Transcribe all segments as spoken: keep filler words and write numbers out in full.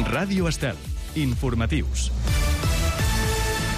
Ràdio Estel. Informatius.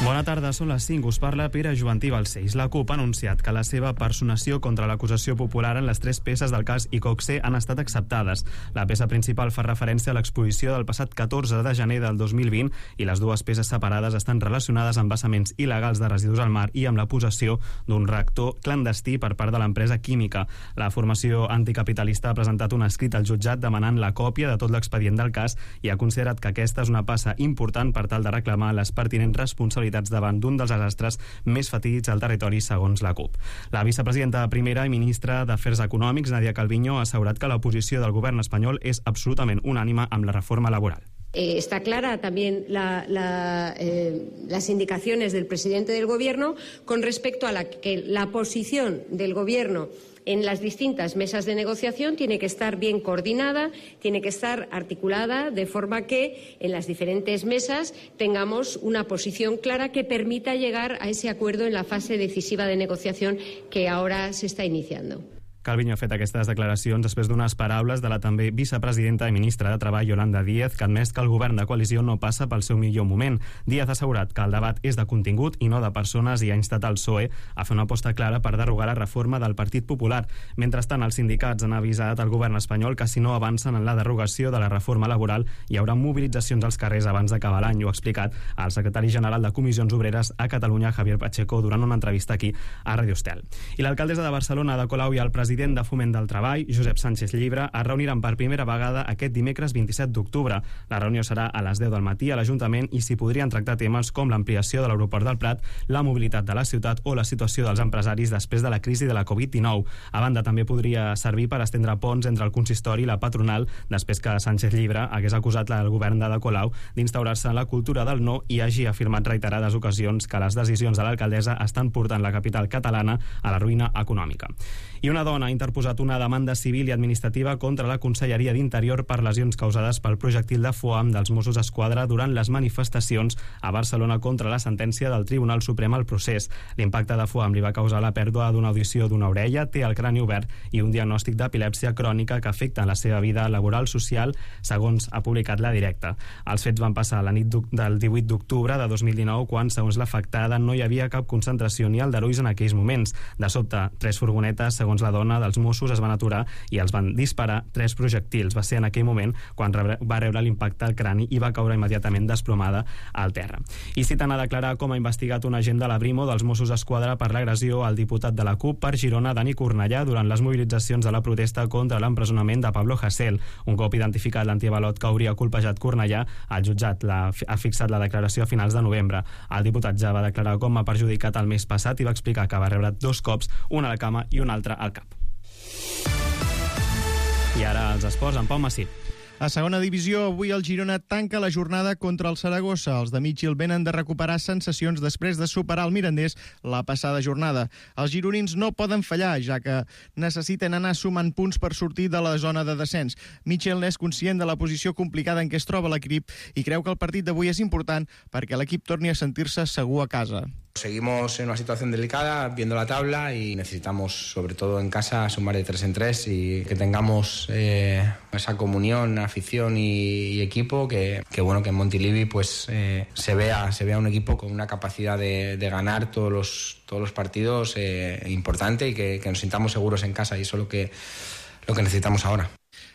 Bona tarda, són les cinc. Us parla Pere Jovantí Balcells. La CUP ha anunciat que la seva personació contra l'acusació popular en les tres peces del cas Iqoxe han estat acceptades. La peça principal fa referència a l'exposició del passat catorze de gener del dos mil vint i les dues peces separades estan relacionades amb vessaments il·legals de residus al mar i amb la possessió d'un reactor clandestí per part de l'empresa química. La formació anticapitalista ha presentat un escrit al jutjat demanant la còpia de tot l'expedient del cas i ha considerat que aquesta és una passa important per tal de reclamar les pertinents responsabilitats davant d'un dels desastres més fatídics al territori, segons la CUP. La vicepresidenta primera i ministra d'Afers Econòmics, Nadia Calviño, ha assegurat que la posició del govern espanyol és absolutament unànime amb la reforma laboral. Eh, está clara también la, la, eh, las indicaciones del presidente del Gobierno con respecto a la que la posición del Gobierno en las distintas mesas de negociación tiene que estar bien coordinada, tiene que estar articulada de forma que en las diferentes mesas tengamos una posición clara que permita llegar a ese acuerdo en la fase decisiva de negociación que ahora se está iniciando. Calviño ha fet aquestes declaracions després d'unes paraules de la també vicepresidenta i ministra de Treball, Yolanda Díaz, que ha admès que el govern de coalició no passa pel seu millor moment. Díaz ha assegurat que el debat és de contingut i no de persones i ha instat el P S O E a fer una aposta clara per derogar la reforma del Partit Popular. Mentrestant, els sindicats han avisat al govern espanyol que si no avancen en la derogació de la reforma laboral hi haurà mobilitzacions als carrers abans d'acabar l'any. Ho ha explicat el secretari general de Comissions Obreres a Catalunya, Javier Pacheco, durant una entrevista aquí a Ràdio Estel. I l'alcaldessa de Barcelona, Ada Colau, i el president president de Foment del Treball, Josep Sánchez Llibre, es reuniran per primera vegada aquest dimecres vint-i-set d'octubre. La reunió serà a les deu del matí a l'Ajuntament i s'hi podrien tractar temes com l'ampliació de l'aeroport del Prat, la mobilitat de la ciutat o la situació dels empresaris després de la crisi de la covid dinou. A banda, també podria servir per estendre ponts entre el consistori i la patronal després que Sánchez Llibre hagués acusat el govern d'Ada Colau d'instaurar-se en la cultura del no i hagi afirmat reiterades ocasions que les decisions de l'alcaldessa estan portant la capital catalana a la ruïna econòmica. I una dona ha interposat una demanda civil i administrativa contra la Conselleria d'Interior per lesions causades pel projectil de foam dels Mossos d'Esquadra durant les manifestacions a Barcelona contra la sentència del Tribunal Suprem al procés. L'impacte de foam li va causar la pèrdua d'una audició d'una orella, té el crani obert i un diagnòstic d'epilèpsia crònica que afecta la seva vida laboral social, segons ha publicat La Directa. Els fets van passar la nit del divuit d'octubre de dos mil dinou, quan, segons l'afectada, no hi havia cap concentració ni aldarulls en aquells moments. De sobte, tres furgonetes, segons la dona, dels Mossos es van aturar i els van disparar tres projectils. Va ser en aquell moment quan va rebre l'impacte al crani i va caure immediatament desplomada al terra. I citen a declarar com ha investigat un agent de la Brimo dels Mossos d'Esquadra per l'agressió al diputat de la CUP per Girona, Dani Cornellà, durant les mobilitzacions de la protesta contra l'empresonament de Pablo Hasél. Un cop identificat l'antiavalot que hauria colpejat Cornellà, el jutjat la, ha fixat la declaració a finals de novembre. El diputat ja va declarar com ha perjudicat el mes passat i va explicar que va rebre dos cops, un a la cama i un altre al cap. I ara els esports amb Pau Massip. A segona divisió, avui el Girona tanca la jornada contra el Saragossa. Els de Mitchell venen de recuperar sensacions després de superar el Mirandés la passada jornada. Els gironins no poden fallar, ja que necessiten anar sumant punts per sortir de la zona de descens. Mitchell és conscient de la posició complicada en què es troba l'equip i creu que el partit d'avui és important perquè l'equip torni a sentir-se segur a casa. Seguimos en una situación delicada, viendo la tabla, y necesitamos, sobre todo en casa, sumar de tres en tres y que tengamos eh, esa comunión, afición y, y equipo, que, que bueno, que en Montilivi pues eh, se vea se vea un equipo con una capacidad de, de ganar todos los todos los partidos eh, importante y que, que nos sintamos seguros en casa, y eso es lo que lo que necesitamos ahora.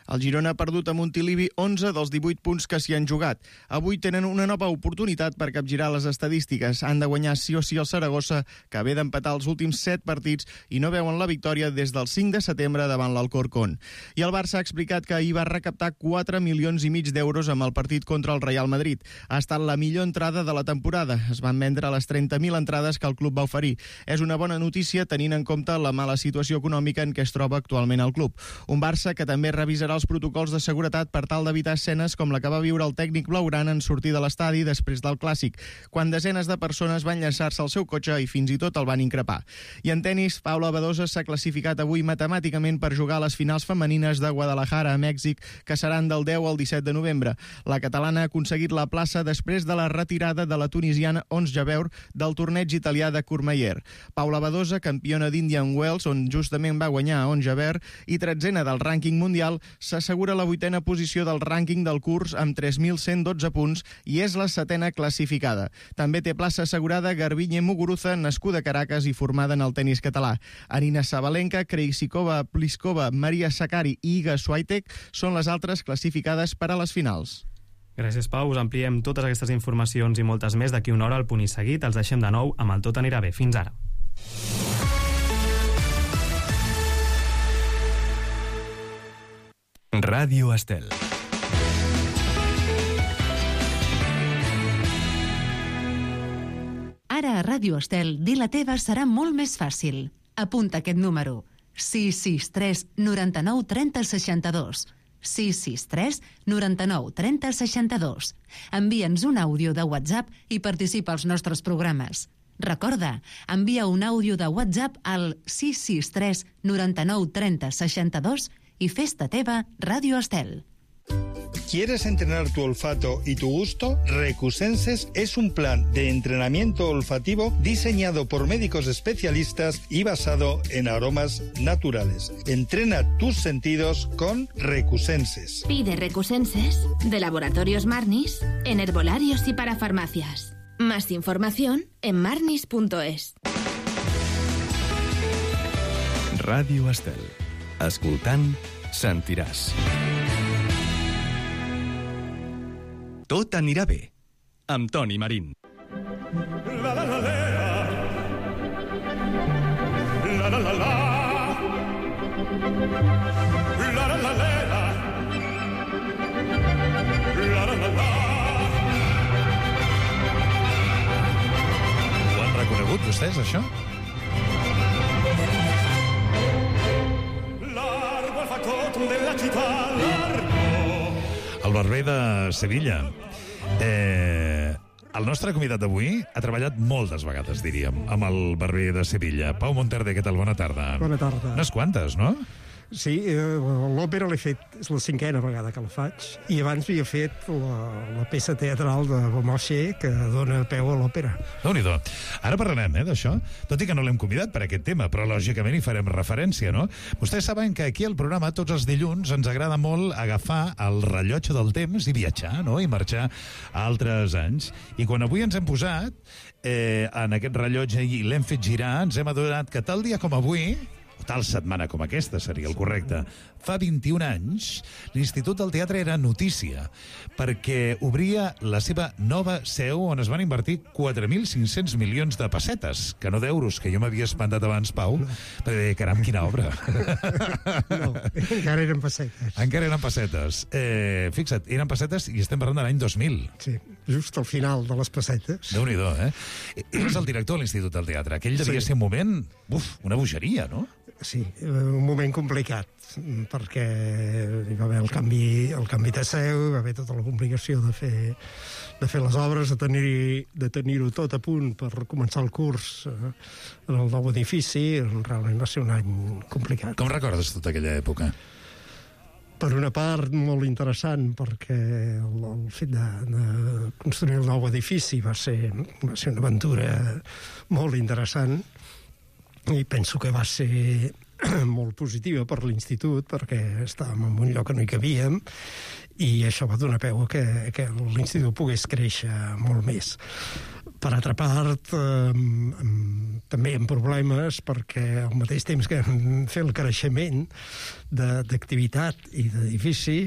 El Girona ha perdut a Montilivi onze dels divuit punts que s'hi han jugat. Avui tenen una nova oportunitat per capgirar les estadístiques. Han de guanyar sí o sí el Saragossa, que ve d'empatar els últims set partits i no veuen la victòria des del cinc de setembre davant l'Alcorcón. I el Barça ha explicat que ahir va recaptar quatre milions i mig d'euros amb el partit contra el Real Madrid. Ha estat la millor entrada de la temporada. Es van vendre les trenta mil entrades que el club va oferir. És una bona notícia tenint en compte la mala situació econòmica en què es troba actualment el club. Un Barça que també revisarà els protocols de seguretat per tal d'evitar escenes com la que va viure el tècnic blaugrana en sortir de l'estadi després del Clàssic, quan desenes de persones van llançar-se al seu cotxe i fins i tot el van increpar. I en tenis, Paula Badosa s'ha classificat avui matemàticament per jugar a les finals femenines de Guadalajara a Mèxic, que seran del deu al disset de novembre. La catalana ha aconseguit la plaça després de la retirada de la tunisiana Ons Jabeur del torneig italià de Courmayeur. Paula Badosa, campiona d'Indian Wells, on justament va guanyar a Ons Jabeur, i tretzena del rànquing mundial, s'assegura la vuitena posició del rànquing del curs amb tres mil cent dotze punts i és la setena classificada. També té plaça assegurada Garbiñe Muguruza, nascuda a Caracas i formada en el tenis català. Arina Sabalenka, Krejcikova, Pliskova, Maria Sakkari i Iga Swiatek són les altres classificades per a les finals. Gràcies, Pau. Us ampliem totes aquestes informacions i moltes més d'aquí una hora al Punt i Seguit. Els deixem de nou amb el Tot anirà bé. Fins ara. Ràdio Estel. Ara a Ràdio Estel, dir la teva serà molt més fàcil. Apunta aquest número: sis sis tres noranta-nou trenta seixanta-dos. sis sis tres noranta-nou trenta seixanta-dos. Envia'ns un àudio de WhatsApp i participa als nostres programes. Recorda, envia un àudio de WhatsApp al sis sis tres noranta-nou trenta seixanta-dos y festa teva Radio Estel. ¿Quieres entrenar tu olfato y tu gusto? Recusenses es un plan de entrenamiento olfativo diseñado por médicos especialistas y basado en aromas naturales. Entrena tus sentidos con Recusenses. Pide Recusenses de Laboratorios Marnis en herbolarios y para farmacias. Más información en marnis punto es. Ràdio Estel. Escoltant, sentiràs. Tot anirà bé, amb Toni Marín. La la la la la la la la la la la la la la la. Ho han reconegut vostès, això? Largo al factotum della città, largo. El barber de Sevilla. Eh, el nostre convidat d'avui ha treballat moltes vegades, diríem, amb el barber de Sevilla. Pau Monterde, què tal? Bona tarda. Bona tarda. Unes quantes, no? Sí, eh, l'òpera l'he fet, és la cinquena vegada que la faig, i abans havia fet la, la peça teatral de Beaumarchais que dona peu a l'òpera. Déu-n'hi-do. Ara parlarem, eh, d'això, tot i que no l'hem convidat per aquest tema, però lògicament hi farem referència, no? Vostès saben que aquí al programa tots els dilluns ens agrada molt agafar el rellotge del temps i viatjar, no?, i marxar a altres anys. I quan avui ens hem posat eh, en aquest rellotge i l'hem fet girar, ens hem adonat que tal dia com avui, tal setmana com aquesta seria el correcte, fa vint-i-un anys, l'Institut del Teatre era notícia, perquè obria la seva nova seu on es van invertir quatre mil cinc-cents milions de pessetes, que no d'euros, que jo m'havia espantat abans, Pau, no. Perquè, caram, quina obra. No, encara eren pessetes. Encara eren pessetes. Eh, fixa't, eren pessetes i estem parlant de l'any dos mil. Sí, just al final de les pessetes. Déu-n'hi-do, eh? Eres el director de l'Institut del Teatre. Aquell devia sí. ser un moment, uf, una bogeria, no? Sí, un moment complicat, perquè hi va haver el canvi, el canvi de seu, hi va haver tota la complicació de fer, de fer les obres, de tenir, de tenir-ho tot a punt per començar el curs eh, en el nou edifici. Realment va ser un any complicat. Com recordes tota aquella època? Per una part, molt interessant, perquè el, el fet de, de construir el nou edifici va ser, va ser una aventura molt interessant, i penso que va ser molt positiva per l'Institut, perquè estàvem en un lloc que no hi cabíem, i això va donar peu a que, que l'Institut pogués créixer molt més. Per altra part, eh, també hi ha problemes, perquè al mateix temps que vam fer el creixement d'activitat i d'edifici,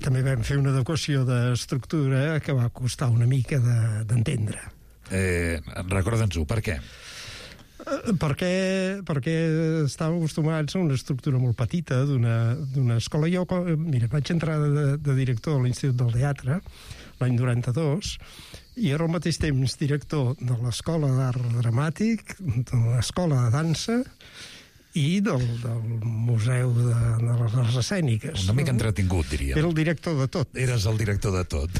també vam fer una adequació d'estructura que va costar una mica d'entendre. De, eh, recorda'ns-ho, per què? Perquè, perquè estàvem acostumats a una estructura molt petita d'una escola. Jo, mira, vaig entrar de, de director a l'Institut del Teatre l'any noranta-dos, i era al mateix temps director de l'Escola d'Art Dramàtic, de l'Escola de Dansa i del, del Museu de, de les Arts Escèniques. Una mica entretingut, diríem. Era el director de tot. Eres el director de tot.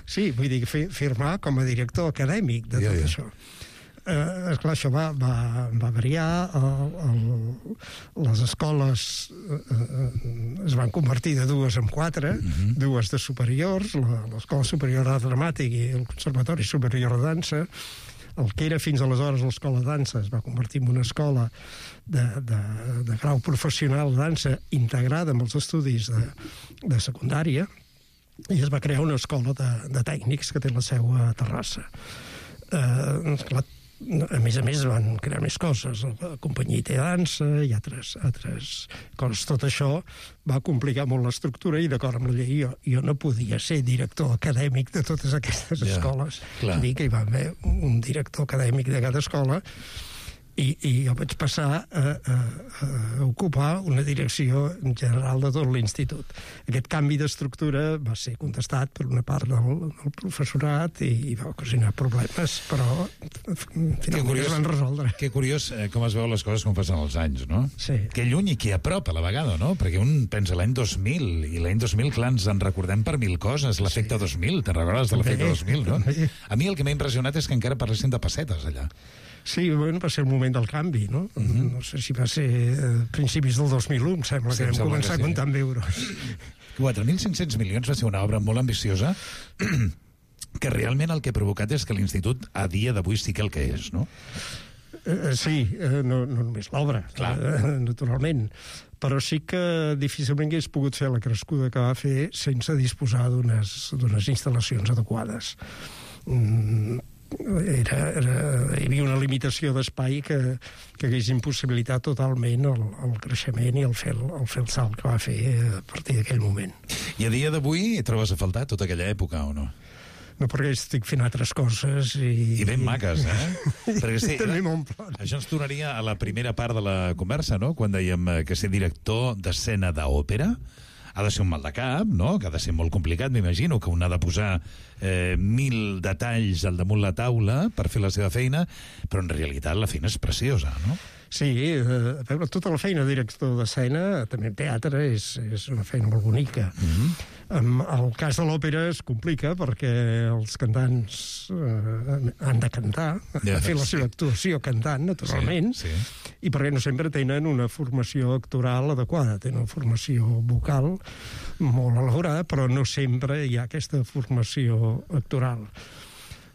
Sí, vull dir, firmar com a director acadèmic de tot ja, ja. això. Eh, esclar, això va, va, va variar, el, el, les escoles eh, es van convertir de dues en quatre, uh-huh. dues de superiors, l'Escola Superior d'Art Dramàtic i el Conservatori Superior de Dansa. el que era fins aleshores l'escola de dansa es va convertir en una escola de, de, de grau professional de dansa integrada amb els estudis de, de secundària, i es va crear una escola de, de tècnics que té la seu a Terrassa. Eh, esclar, a més a més van crear més coses, la companyia de dansa i altres, altres coses. Tot això va complicar molt l'estructura i d'acord amb la llei jo, jo no podia ser director acadèmic de totes aquestes yeah, escoles. Dir que hi va haver un director acadèmic de cada escola i, i jo vaig passar a, a, a ocupar una direcció general de tot l'institut. Aquest canvi d'estructura va ser contestat per una part del, del professorat i, i va ocasionar problemes, però finalment curiós, es van resoldre. Que curiós eh, com es veuen les coses com passen els anys, no? Sí. Que lluny i que a prop a la vegada, no? Perquè un pensa l'any dos mil, i l'any dos mil, clar, ens en recordem per mil coses, l'efecte sí. dos mil, te'n recordes de l'efecte dos mil, no? També. A mi el que m'ha impressionat és que encara parlessin de pessetes allà. Sí, bueno, va ser el moment del canvi, no? Mm-hmm. No sé si va ser a principis del dos mil u, em sembla sí, que vam començar sí. a comptar amb euros. quatre mil cinc-cents milions va ser una obra molt ambiciosa que realment el que ha provocat és que l'Institut a dia d'avui sí que el que és, no? Uh, sí, uh, no, no només l'obra, uh, naturalment, però sí que difícilment hagués pogut fer la crescuda que va fer sense disposar d'unes d'unes instal·lacions adequades. Mm, Era, era, hi havia una limitació d'espai que, que hagués impossibilitat totalment el, el creixement i el fer, el fer el salt que va fer a partir d'aquell moment. I a dia d'avui trobes a faltar tota aquella època o no? No, perquè estic fent altres coses i... I ben maques, eh? Perquè sí, també m'omple. Això ens tornaria a la primera part de la conversa, no? Quan dèiem que ser director d'escena d'òpera ha de ser un mal de cap, no? Que ha de ser molt complicat, m'imagino, que un ha de posar eh, mil detalls al damunt la taula per fer la seva feina, però en realitat la feina és preciosa, no? Sí, eh, a veure, tota la feina de director d'escena, també en teatre, és, és una feina molt bonica. Mm-hmm. En el cas de l'òpera es complica perquè els cantants eh, han de cantar, ja, fer la seva actuació cantant, naturalment, sí, sí. I perquè no sempre tenen una formació actoral adequada, tenen una formació vocal molt elaborada, però no sempre hi ha aquesta formació actoral.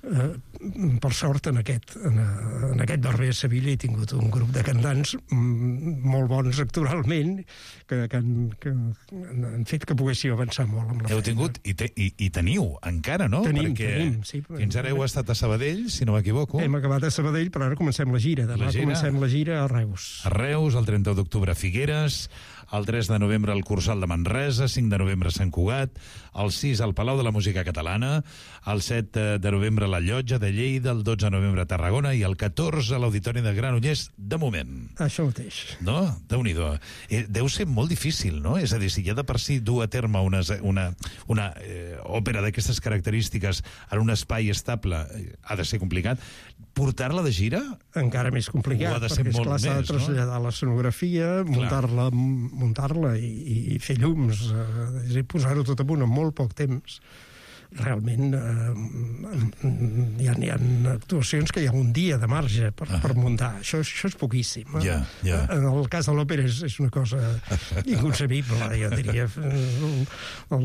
Uh, per sort en aquest, en, en aquest darrer Sevilla he tingut un grup de cantants mm, molt bons actoralment que, que, han, que han fet que poguéssiu avançar molt amb la Heu feina. tingut i, te, i, i teniu encara, no? Tenim, Perquè tenim, sí. Fins ara heu estat a Sabadell, si no m'equivoco. Hem acabat a Sabadell, però ara comencem la gira. Demà la gira, comencem la gira a Reus. A Reus, el trenta d'octubre a Figueres, el tres de novembre al Cursal de Manresa, cinc de novembre a Sant Cugat, el sis al Palau de la Música Catalana, el set de novembre a la Llotja de Lleida, el dotze de novembre a Tarragona i el catorze a l'Auditori de Granollers, de moment. Això mateix. No? Déu-n'hi-do. Eh, deu ser molt difícil, no? És a dir, si ja de per si dur a terme una, una, una eh, òpera d'aquestes característiques en un espai estable eh, ha de ser complicat, portar-la de gira? Encara més complicat, perquè esclar s'ha de traslladar no? l'escenografia, muntar-la muntar-la i, i fer llums, eh, posar-ho tot a punt en molt poc temps. Realment eh, hi, ha, hi ha actuacions que hi ha un dia de marge per, ah. per muntar. Això, això és poquíssim. Eh? Yeah, yeah. En el cas de l'òpera és, és una cosa inconcebible, jo diria.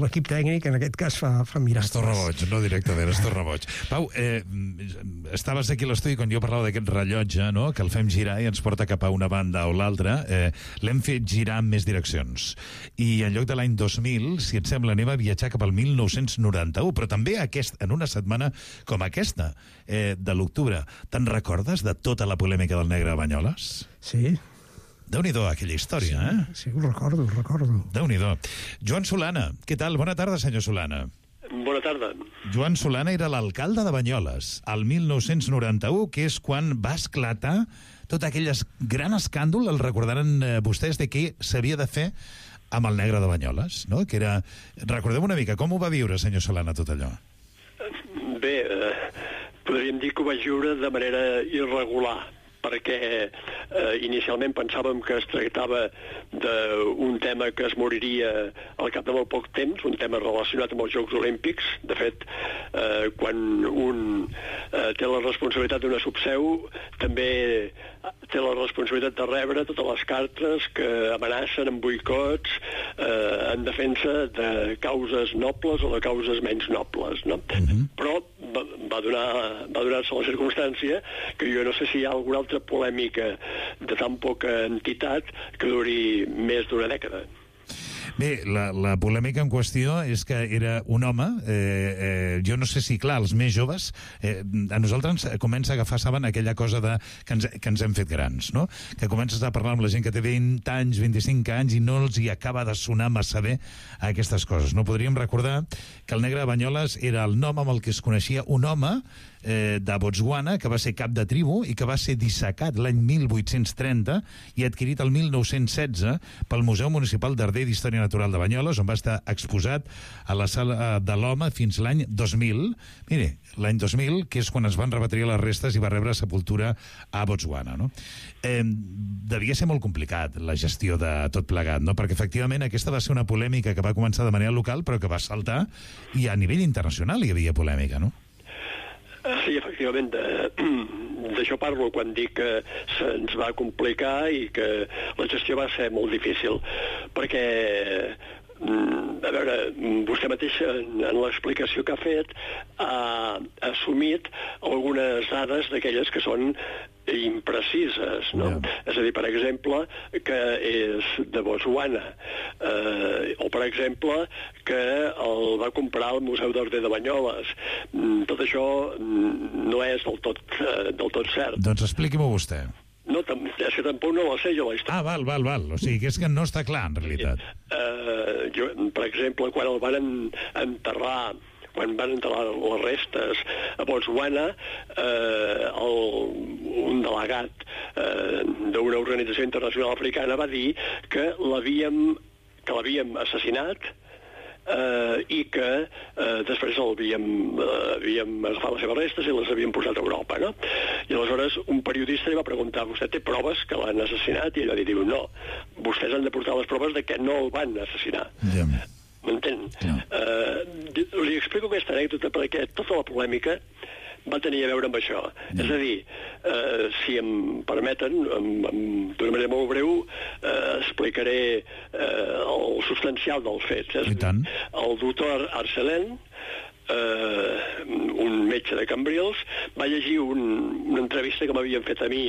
L'equip tècnic en aquest cas fa, fa miracles. Es torna boig, no directament, es torna boig. Pau, eh, estaves aquí a l'estudi quan jo parlava d'aquest rellotge, no? Que el fem girar i ens porta cap a una banda o l'altra. Eh, L'hem fet girar en més direccions. I en lloc de l'any dos mil, si et sembla, anem a viatjar cap al mil nou-cents noranta-u, però també aquest, en una setmana com aquesta, eh, de l'octubre. Te'n recordes de tota la polèmica del negre de Banyoles? Sí. Déu-n'hi-do, aquella història, sí, eh? Sí, ho recordo, ho recordo. Déu-n'hi-do. Joan Solana, què tal? Bona tarda, senyor Solana. Bona tarda. Joan Solana era l'alcalde de Banyoles al mil nou-cents noranta-u, que és quan va esclatar tot aquell gran escàndol, el recordaran eh, vostès, de què s'havia de fer amb el negre de Banyoles, no? Que era... Recordem una mica, com ho va viure, senyor Solana, tot allò? Bé, eh, podríem dir que ho vaig viure de manera irregular, perquè eh, inicialment pensàvem que es tractava d'un tema que es moriria al cap de molt poc temps, un tema relacionat amb els Jocs Olímpics. De fet, eh, quan un eh, té la responsabilitat d'una subseu, també té la responsabilitat de rebre totes les cartes que amenacen amb boicots eh, en defensa de causes nobles o de causes menys nobles, no? Mm-hmm. Però va, va donar va donar-se la circumstància que jo no sé si hi ha alguna altra polèmica de tan poca entitat que duri més d'una dècada. Bé, la, la polèmica en qüestió és que era un home, eh, eh, jo no sé si, clar, els més joves, eh, a nosaltres ens comença a agafar, saben, aquella cosa de, que, ens, que ens hem fet grans, no? Que comences a parlar amb la gent que té vint anys, vint-i-cinc anys, i no els hi acaba de sonar massa bé aquestes coses. No podríem recordar que el negre de Banyoles era el nom amb el que es coneixia un home eh, de Botswana, que va ser cap de tribu i que va ser dissecat l'any mil vuit-cents trenta i adquirit el mil nou-cents setze pel Museu Municipal d'Arder d'Història Natural de Banyoles, on va estar exposat a la Sala de l'Home fins l'any dos mil. Mire, l'any dos mil, que és quan es van repatriar les restes i va rebre sepultura a Botswana, no? Eh, devia ser molt complicat la gestió de tot plegat, no? Perquè efectivament aquesta va ser una polèmica que va començar de manera local però que va saltar i a nivell internacional hi havia polèmica, no? Sí, efectivament, d'això parlo quan dic que se'ns va complicar i que la gestió va ser molt difícil, perquè, a veure, vostè mateix en, en l'explicació que ha fet ha assumit algunes dades d'aquelles que són imprecises, no? Yeah. És a dir, per exemple, que és de Botswana, eh, o per exemple, que el va comprar al Museu d'Arder de Banyoles. Tot això no és del tot, eh, del tot cert. Doncs expliqui-m'ho vostè. No, és que tampoc no la sé jo, la història. Ah, val, val, val. O sigui, que és que no està clar, en realitat. Eh, jo, per exemple, quan el van enterrar quan van enterrar les restes a Botswana, eh, el, un delegat eh, d'una organització internacional africana va dir que l'havíem que l'havíem assassinat eh, i que eh, després l'havíem eh, havíem agafat les seves restes i les havíem portat a Europa, no? I aleshores un periodista li va preguntar: vostè té proves que l'han assassinat? I ell va dir, diu, no, vostès han de portar les proves de que no el van assassinar. Yeah. M'entén? No. Uh, li explico aquesta anècdota perquè tota la polèmica va tenir a veure amb això. No. És a dir, uh, si em permeten, d'una manera molt breu, uh, explicaré uh, el substancial dels fets. És a dir, el doctor Arcelén, uh, un metge de Cambrils, va llegir un, una entrevista que m'havien fet a mi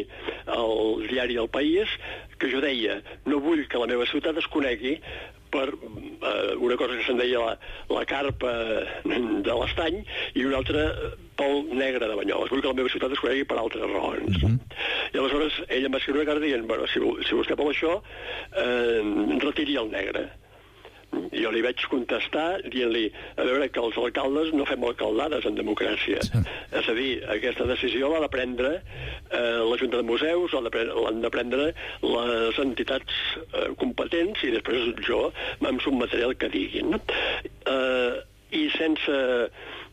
al diari El País, que jo deia: no vull que la meva ciutat es conegui per eh, una cosa que se'n deia la, la carpa de l'Estany i una altra pel negre de Banyoles. Vull que la meva ciutat es conegui per altres raons. Mm-hmm. I aleshores ell em va escriure una carta dient: bueno, si, si vostè vol això, eh, retiri el negre. I jo li vaig contestar dient-li: a veure, que els alcaldes no fem alcaldades en democràcia. Sí. És a dir, aquesta decisió l'ha de prendre eh, la Junta de Museus, l'han de prendre les entitats eh, competents, i després jo me'n sotmetré el que diguin. No? Eh, I sense,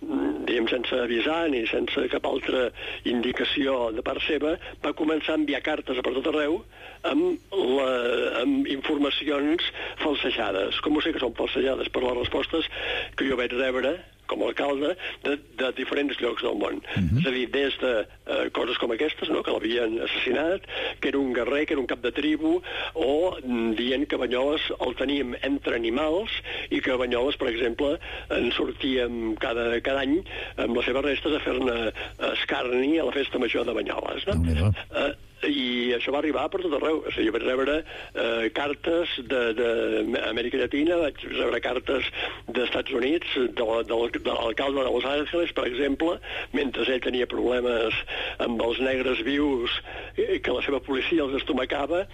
diguem, sense avisar ni sense cap altra indicació de part seva, va començar a enviar cartes a per tot arreu amb, la, amb informacions falsejades. Com ho sé que són falsejades? Per les respostes que jo vaig rebre com a alcalde de, de diferents llocs del món. Mm-hmm. És a dir, des de eh, coses com aquestes, no?, que l'havien assassinat, que era un guerrer, que era un cap de tribu, o mm, dient que Banyoles el teníem entre animals i que a Banyoles, per exemple, en sortíem cada, cada any amb les seves restes a fer-ne escarni a la festa major de Banyoles. No? Mm-hmm. eh, i això va arribar per tot arreu. O sigui, jo vaig rebre eh, cartes d'Amèrica Llatina, vaig rebre cartes dels Estats Units, de, de, de l'alcalde de Los Angeles, per exemple, mentre ell tenia problemes amb els negres vius, eh, que la seva policia els estomacava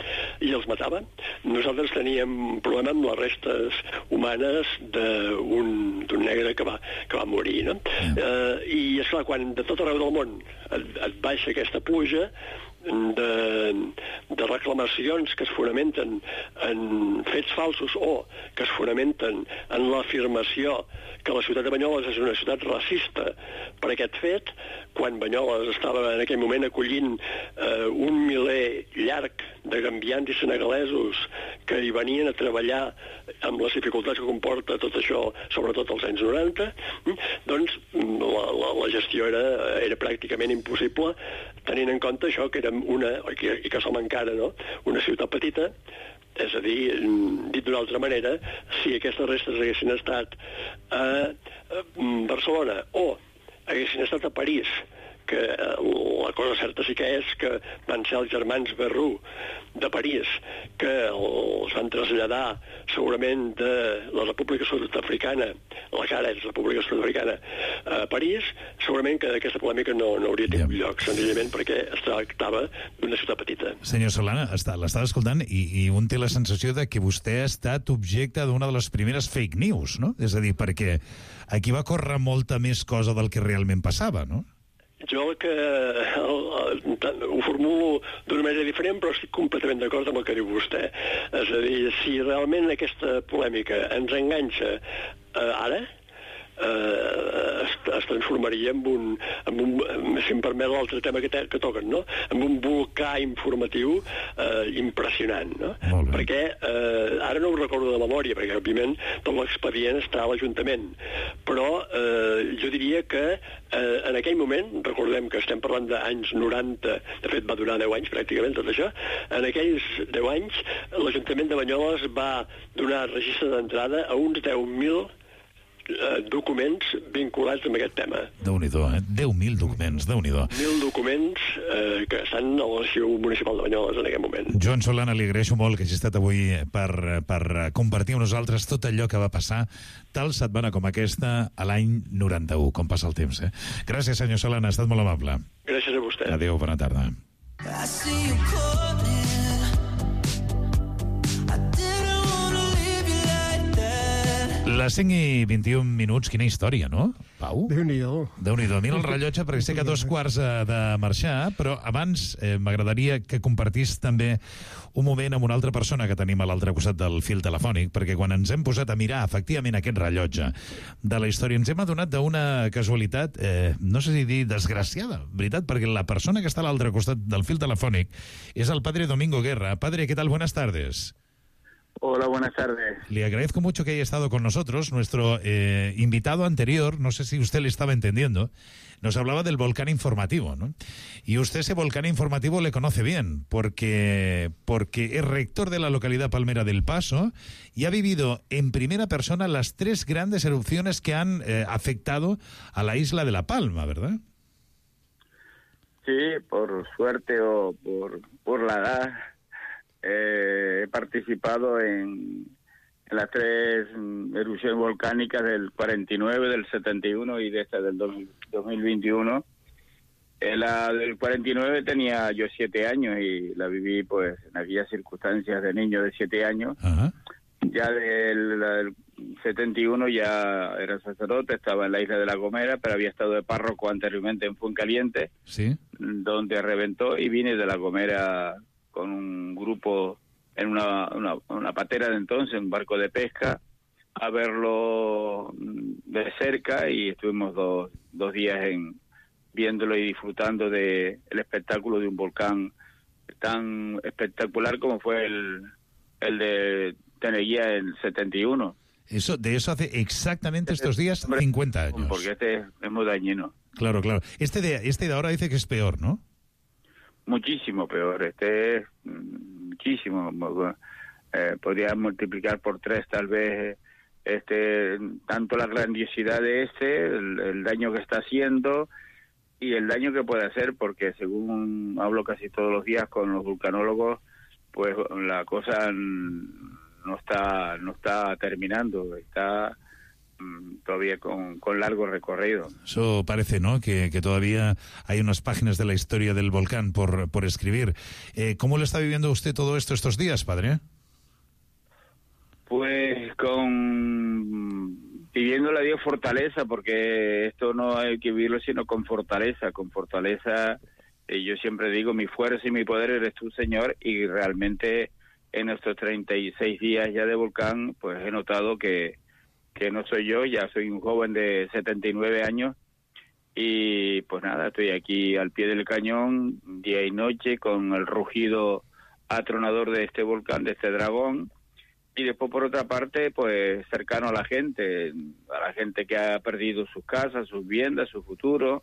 i els matava. Nosaltres teníem un problema amb les restes humanes d'un negre que va, que va morir, no? Mm. Eh, I, esclar, quan de tot arreu del món et, et baixa aquesta pluja de, de reclamacions que es fonamenten en fets falsos o que es fonamenten en l'afirmació que la ciutat de Banyoles és una ciutat racista per aquest fet, quan Banyoles estava en aquell moment acollint eh, un miler llarg de gambians i senegalesos que hi venien a treballar amb les dificultats que comporta tot això, sobretot als anys noranta, doncs la, la, la gestió era, era pràcticament impossible, tenint en compte això, que érem una, i que, i que som encara, no?, una ciutat petita. És a dir, dit d'una altra manera, si aquestes restes haguessin estat a Barcelona o haguessin estat a París, que la cosa certa sí que és que van ser els germans Berrú de París, que els van traslladar segurament de la República Sud-africana, la que ara és República Sud-africana, a París, segurament que aquesta polèmica no, no hauria tingut lloc, senzillament perquè es tractava d'una ciutat petita. Senyor Solana, està, l'estava escoltant i, i un té la sensació de que vostè ha estat objecte d'una de les primeres fake news, no? És a dir, perquè aquí va córrer molta més cosa del que realment passava, no? Jo el que el, el, ho formulo d'una manera diferent, però estic completament d'acord amb el que diu vostè. És a dir, si realment aquesta polèmica ens enganxa eh, ara, eh, es, es transformaria en un, en un, si em permet l'altre tema que, te, que toquen, no? En un volcà informatiu eh, impressionant, no? Perquè eh, ara no ho recordo de memòria, perquè òbviament tot l'expedient està a l'Ajuntament, però eh, jo diria que eh, en aquell moment, recordem que estem parlant d'anys noranta, de fet va durar deu anys pràcticament tot això, en aquells deu anys l'Ajuntament de Banyoles va donar registre d'entrada a uns deu mil documents vinculats amb aquest tema. Déu-n'hi-do, eh? deu mil documents, Déu-n'hi-do. Mil documents eh, que estan a l'Arxiu Municipal de Banyoles en aquest moment. Joan Solana, li agraeixo molt que hagi estat avui per, per compartir amb nosaltres tot allò que va passar tal setmana com aquesta a l'any noranta-u, com passa el temps. Eh? Gràcies, senyor Solana, ha estat molt amable. Gràcies a vostè. Adéu, bona tarda. Les cinc i vint-i-un minuts, quina història, no, Pau? Déu-n'hi-do. Déu-n'hi-do. Mira el rellotge, perquè sé que a dos quarts de marxar, però abans eh, m'agradaria que compartís també un moment amb una altra persona que tenim a l'altre costat del fil telefònic, perquè quan ens hem posat a mirar efectivament aquest rellotge de la història ens hem adonat d'una casualitat, eh, no sé si dir desgraciada, veritat, perquè la persona que està a l'altre costat del fil telefònic és el padre Domingo Guerra. Padre, ¿qué tal? Buenas tardes. Hola, buenas tardes. Le agradezco mucho que haya estado con nosotros. Nuestro eh, invitado anterior, no sé si usted le estaba entendiendo, nos hablaba del volcán informativo, ¿no? Y usted ese volcán informativo le conoce bien, porque, porque es rector de la localidad palmera del Paso y ha vivido en primera persona las tres grandes erupciones que han eh, afectado a la isla de La Palma, ¿verdad? Sí, por suerte o por, por la edad. Eh, he participado en, en las tres erupciones volcánicas del cuarenta y nueve, del setenta y uno y de esta del dos mil veintiuno. En la del cuarenta y nueve tenía yo siete años y la viví pues en aquellas circunstancias de niño de siete años. Ajá. Ya del, del setenta y uno ya era sacerdote, estaba en la isla de La Gomera, pero había estado de párroco anteriormente en Fuencaliente, sí, donde reventó, y vine de La Gomera con un grupo en una, una, una patera de entonces, un barco de pesca, a verlo de cerca, y estuvimos dos, dos días en viéndolo y disfrutando de el espectáculo de un volcán tan espectacular como fue el, el de Teneguía en el setenta y uno. Eso, de eso hace exactamente estos días cincuenta años. Porque este es muy dañino. Claro, claro. Este de, este de ahora dice que es peor, ¿no? Muchísimo peor, este es muchísimo, eh, podría multiplicar por tres tal vez, este tanto la grandiosidad de este, el, el daño que está haciendo y el daño que puede hacer, porque según hablo casi todos los días con los vulcanólogos, pues la cosa no está no está terminando, está todavía con, con largo recorrido. Eso parece, ¿no? Que, que todavía hay unas páginas de la historia del volcán por, por escribir. Eh, ¿Cómo lo está viviendo usted todo esto estos días, padre? Pues con pidiéndole a Dios fortaleza, porque esto no hay que vivirlo sino con fortaleza, con fortaleza. Eh, yo siempre digo, mi fuerza y mi poder eres tú, Señor, y realmente en estos treinta y seis días ya de volcán, pues he notado que que no soy yo, ya soy un joven de setenta y nueve años y pues nada, estoy aquí al pie del cañón día y noche con el rugido atronador de este volcán, de este dragón, y después por otra parte pues cercano a la gente, a la gente que ha perdido sus casas, sus viviendas, su futuro,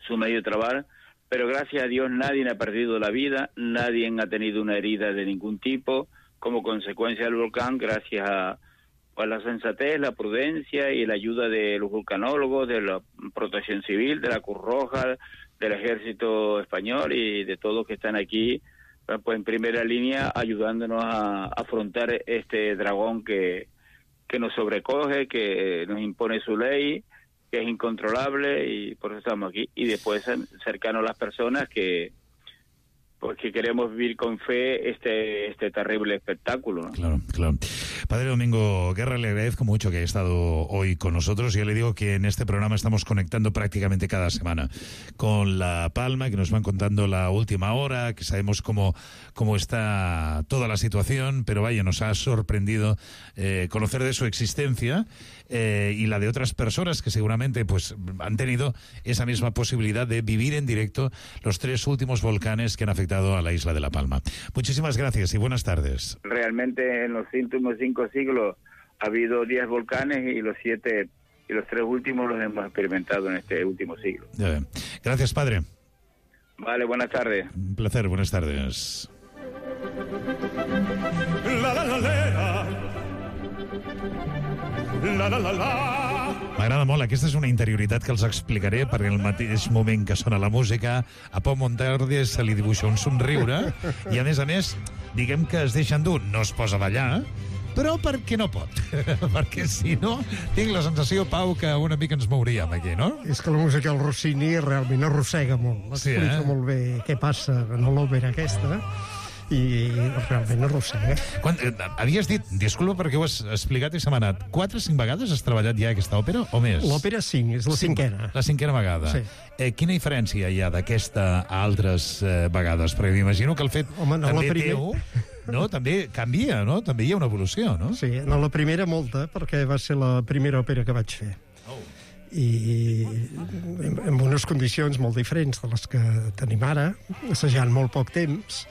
su medio de trabajo, pero gracias a Dios nadie ha perdido la vida, nadie ha tenido una herida de ningún tipo como consecuencia del volcán, gracias a pues la sensatez, la prudencia y la ayuda de los vulcanólogos, de la Protección Civil, de la Cruz Roja, del Ejército Español y de todos que están aquí, pues en primera línea ayudándonos a, a afrontar este dragón que, que nos sobrecoge, que nos impone su ley, que es incontrolable, y por eso estamos aquí. Y después cercanos a las personas que porque queremos vivir con fe este este terrible espectáculo, ¿no? Claro, claro. Padre Domingo Guerra, le agradezco mucho que haya estado hoy con nosotros. Yo le digo que en este programa estamos conectando prácticamente cada semana con La Palma, que nos van contando la última hora, que sabemos cómo, cómo está toda la situación, pero vaya, nos ha sorprendido eh, conocer de su existencia eh, y la de otras personas que seguramente pues han tenido esa misma posibilidad de vivir en directo los tres últimos volcanes que han afectado a la isla de La Palma. Muchísimas gracias y buenas tardes. Realmente en los últimos cinco siglos ha habido diez volcanes y los siete y los tres últimos los hemos experimentado en este último siglo. Gracias, padre. Vale, buenas tardes. Un placer, buenas tardes. La la la la. La la la la. M'agrada molt, aquesta és una interioritat que els explicaré, perquè en el mateix moment que sona la música a Pau Monterde se li dibuixa un somriure i a més a més, diguem que es deixa endur, no es posa a ballar, però perquè no pot, perquè si no tinc la sensació, Pau, que una mica ens mouríem aquí, no? És que la música del Rossini realment arrossega molt, explica sí, eh? molt bé què passa en l'òpera aquesta, i realment arrossega. Quan, eh, havies dit, disculpa perquè ho has explicat i se m'ha anat, quatre o cinc vegades has treballat ja aquesta òpera o més? L'òpera cinc, és la cinc, cinquena. La cinquena vegada. Sí. Eh, quina diferència hi ha d'aquesta a altres eh, vegades? Perquè m'imagino que el fet Home, no, també primer... teu no, també canvia, no? També hi ha una evolució, no? Sí, no, la primera molta, perquè va ser la primera òpera que vaig fer. Oh. I en unes condicions molt diferents de les que tenim ara, assajant molt poc temps.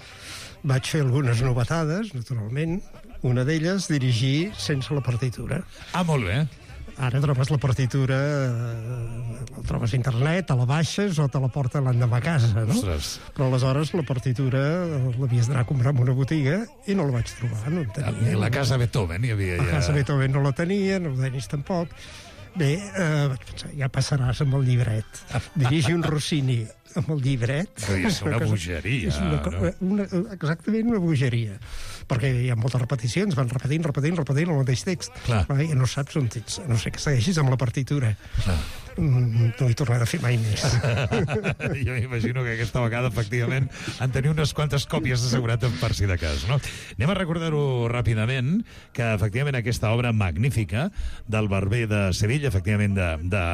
Vaig fer algunes novetades, naturalment. Una d'elles, dirigir sense la partitura. Ah, molt bé. Ara trobes la partitura, eh, la trobes a internet, te la baixes o te la porta l'endemà a casa, no? Ostres. Però aleshores la partitura l'havies d'anar a comprar en una botiga i no la vaig trobar, no en tenia. Ni la casa Beethoven hi havia ja. La casa Beethoven no la tenia, no la tenis tampoc. Bé, eh, vaig pensar, ja passaràs amb el llibret. Dirigir un Rossini amb el llibret... És una bogeria, és una, no? Una, exactament una bogeria. Perquè hi ha moltes repeticions, van repetint, repetint, repetint el mateix text. Clar. I no saps on ets, a no sé que segueixis amb la partitura. Clar. Mm, no hi tornaré a fer mai més. Jo m'imagino que aquesta vegada, efectivament, han tenir unes quantes còpies assegurat per si de cas, no? Anem a recordar-ho ràpidament, que efectivament aquesta obra magnífica del Barber de Sevilla, efectivament de, de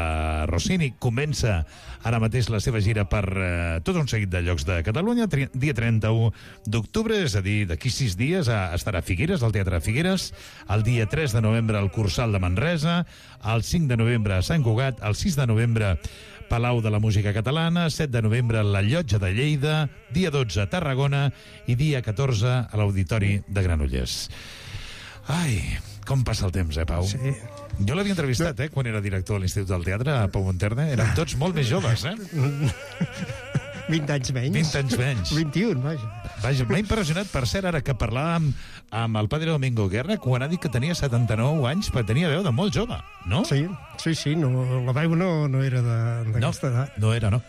Rossini, comença ara mateix la seva gira per eh, tot un seguit de llocs de Catalunya, tri dia trenta-u d'octubre, és a dir, d'aquí sis dies a, estarà a Figueres, al Teatre Figueres, el dia tres de novembre al Cursal de Manresa, el cinc de novembre a Sant Cugat, el sis de novembre Palau de la Música Catalana, set de novembre la Llotja de Lleida, dia dotze a Tarragona i dia catorze a l'Auditori de Granollers. Ai, com passa el temps, eh, Pau? Sí. Jo l'havia entrevistat, eh, quan era director a l'Institut del Teatre, a Pau Monterde. Érem tots molt més joves, eh? vint anys menys. vint anys menys. vint-i-un, vaja. Vaja, m'ha impressionat, per cert, ara que parlàvem amb el padre Domingo Guerra, quan ha dit que tenia setanta-nou anys, però tenia veu de molt jove, no? Sí, sí, sí, no, la veu no, no era d'aquesta no, edat. No era, no.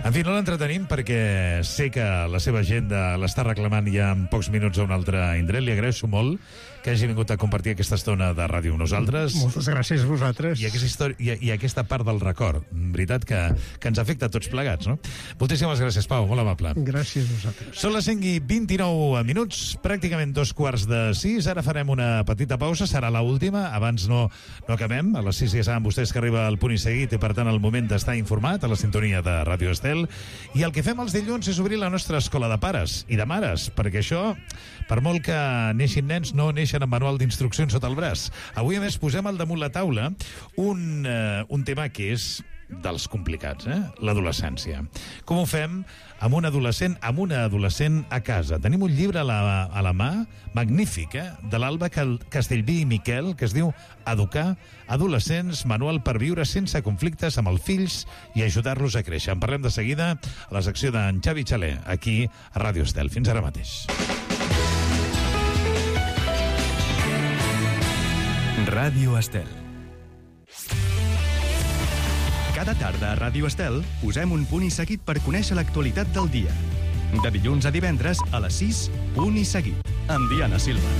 En fi, no l'entretenim perquè sé que la seva agenda l'està reclamant ja en pocs minuts a un altre indret. Li agraeixo molt que hagi vingut a compartir aquesta estona de ràdio amb nosaltres. Moltes gràcies a vosaltres. I aquesta, història, i, i aquesta part del record, veritat, que, que ens afecta a tots plegats, no? Moltíssimes gràcies, Pau, molt amable. Gràcies a vosaltres. Són les cinc i vint-i-nou minuts, pràcticament dos quarts de sis. Ara farem una petita pausa, serà l'última. Abans no, no acabem. A les sis ja saben vostès que arriba el punt i seguit i, per tant, el moment d'estar informat a la sintonia de Ràdio Estel. I el que fem els dilluns és obrir la nostra escola de pares i de mares, perquè això, per molt que neixin nens, no neixen amb manual d'instruccions sota el braç. Avui, a més, posem al damunt la taula un, uh, un tema que és dels complicats, eh? L'adolescència. Com ho fem amb un adolescent, amb una adolescent a casa? Tenim un llibre a la, a la mà, magnífic, eh? De l'Alba Castellví i Miquel, que es diu Educar adolescents, manual per viure sense conflictes amb els fills i ajudar-los a créixer. En parlem de seguida a la secció d'en Xavi Xaler, aquí a Ràdio Estel. Fins ara mateix. Ràdio Estel. Cada tarda a Ràdio Estel posem un punt i seguit per conèixer l'actualitat del dia. De dilluns a divendres a les sis, punt i seguit, amb Diana Silva.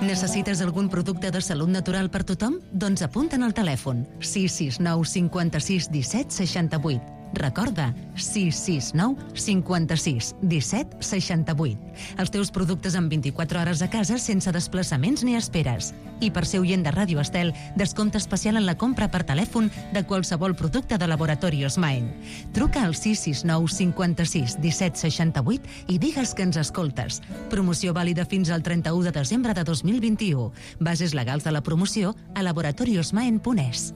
Necessites algun producte de salut natural per tothom? Doncs apunta'n al telèfon sis sis nou cinquanta-sis disset seixanta-vuit. Recorda, sis sis nou cinquanta-sis disset seixanta-vuit. Els teus productes en vint-i-quatre hores a casa sense desplaçaments ni esperes. I per ser oient de Ràdio Estel, descompte especial en la compra per telèfon de qualsevol producte de Laboratorios Maen. Truca al sis sis nou cinquanta-sis disset seixanta-vuit i digues que ens escoltes. Promoció vàlida fins al trenta-u de desembre de dos mil vint-i-u. Bases legals de la promoció a laboratoriosmaen punt es.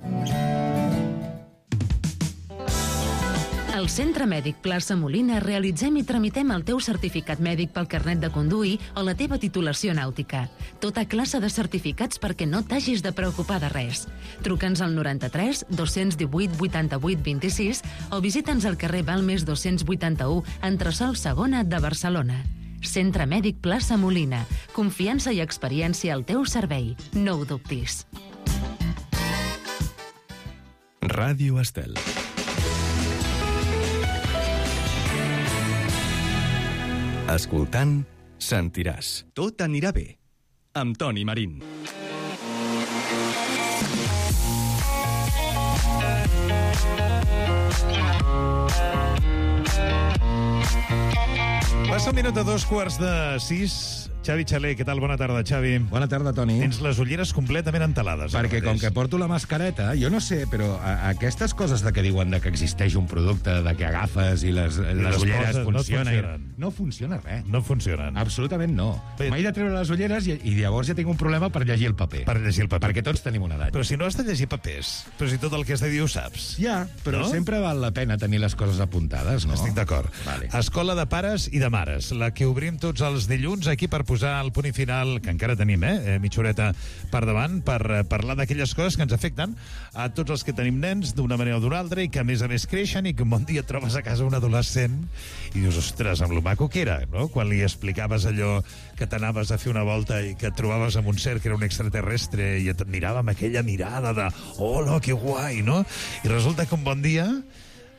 Al Centre Mèdic Plaça Molina realitzem i tramitem el teu certificat mèdic pel carnet de conduir o la teva titulació nàutica. Tota classe de certificats perquè no t'hagis de preocupar de res. Truca'ns al noranta-tres dos-cents divuit vuitanta-vuit vint-i-sis o visita'ns al carrer Balmes dos-cents vuitanta-u, entresòl segona de Barcelona. Centre Mèdic Plaça Molina. Confiança i experiència al teu servei. No ho dubtis. Ràdio Estel. Escoltant, sentiràs. Tot anirà bé. Amb Toni Marín. Passa un minut de dos quarts de sis. Xavi Xaler, què tal? Bona tarda, Xavi. Bona tarda, Toni. Tens les ulleres completament entelades. Perquè com que porto la mascareta, jo no sé, però a, aquestes coses de que diuen de que existeix un producte, de que agafes i les, les, les ulleres funcionen, no funcionen. No funciona res. No funcionen. Absolutament no. M'he de treure les ulleres i, i llavors ja tinc un problema per llegir el paper. Per llegir el paper. Perquè tots tenim una edat. Però si no has de llegir papers, però si tot el que has de dir ho saps. Ja, però no? Sempre val la pena tenir les coses apuntades, no? Estic d'acord. Vale. Escola de pares i de mares, la que obrim tots els dilluns aquí per posar el punt i final, que encara tenim, eh, mitja horeta per davant, per eh, parlar d'aquelles coses que ens afecten a tots els que tenim nens d'una manera o d'una altra i que a més a més creixen i que un bon dia et trobes a casa un adolescent i dius, ostres, amb lo maco que era, no? Quan li explicaves allò que t'anaves a fer una volta i que et trobaves amb un ser que era un extraterrestre i et mirava amb aquella mirada de hola, que guai, no? I resulta que un bon dia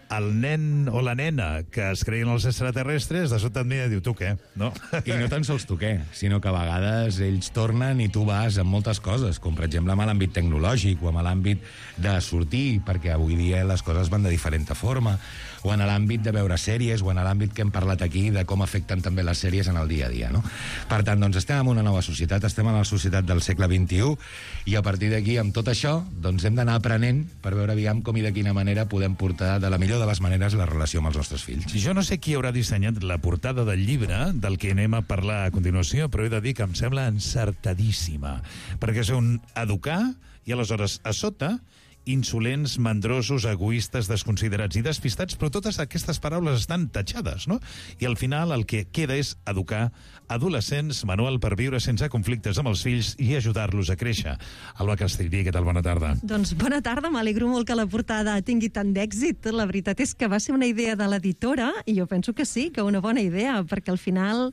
el nen o la nena que es creien els extraterrestres, de sobte et mira i diu, tu què? No? I no tan sols tu què, sinó que a vegades ells tornen i tu vas amb moltes coses, com per exemple amb l'àmbit tecnològic o amb l'àmbit de sortir, perquè avui dia les coses van de diferent forma, o en l'àmbit de veure sèries, o en l'àmbit que hem parlat aquí de com afecten també les sèries en el dia a dia, no? Per tant, doncs estem en una nova societat, estem en la societat del segle vint-i-u, i a partir d'aquí, amb tot això, doncs hem d'anar aprenent per veure aviam com i de quina manera podem portar de la millor de les maneres la relació amb els nostres fills. Jo no sé qui haurà dissenyat la portada del llibre del que anem a parlar a continuació, però he de dir que em sembla encertadíssima, perquè és un educar i aleshores a sota insolents, mandrosos, egoistes, desconsiderats i despistats, però totes aquestes paraules estan tatxades, no? I al final el que queda és educar adolescents, manual per viure sense conflictes amb els fills i ajudar-los a créixer. Alba Castellví, què tal? Bona tarda. Doncs bona tarda, m'alegro molt que la portada tingui tant d'èxit. La veritat és que va ser una idea de l'editora i jo penso que sí, que una bona idea, perquè al final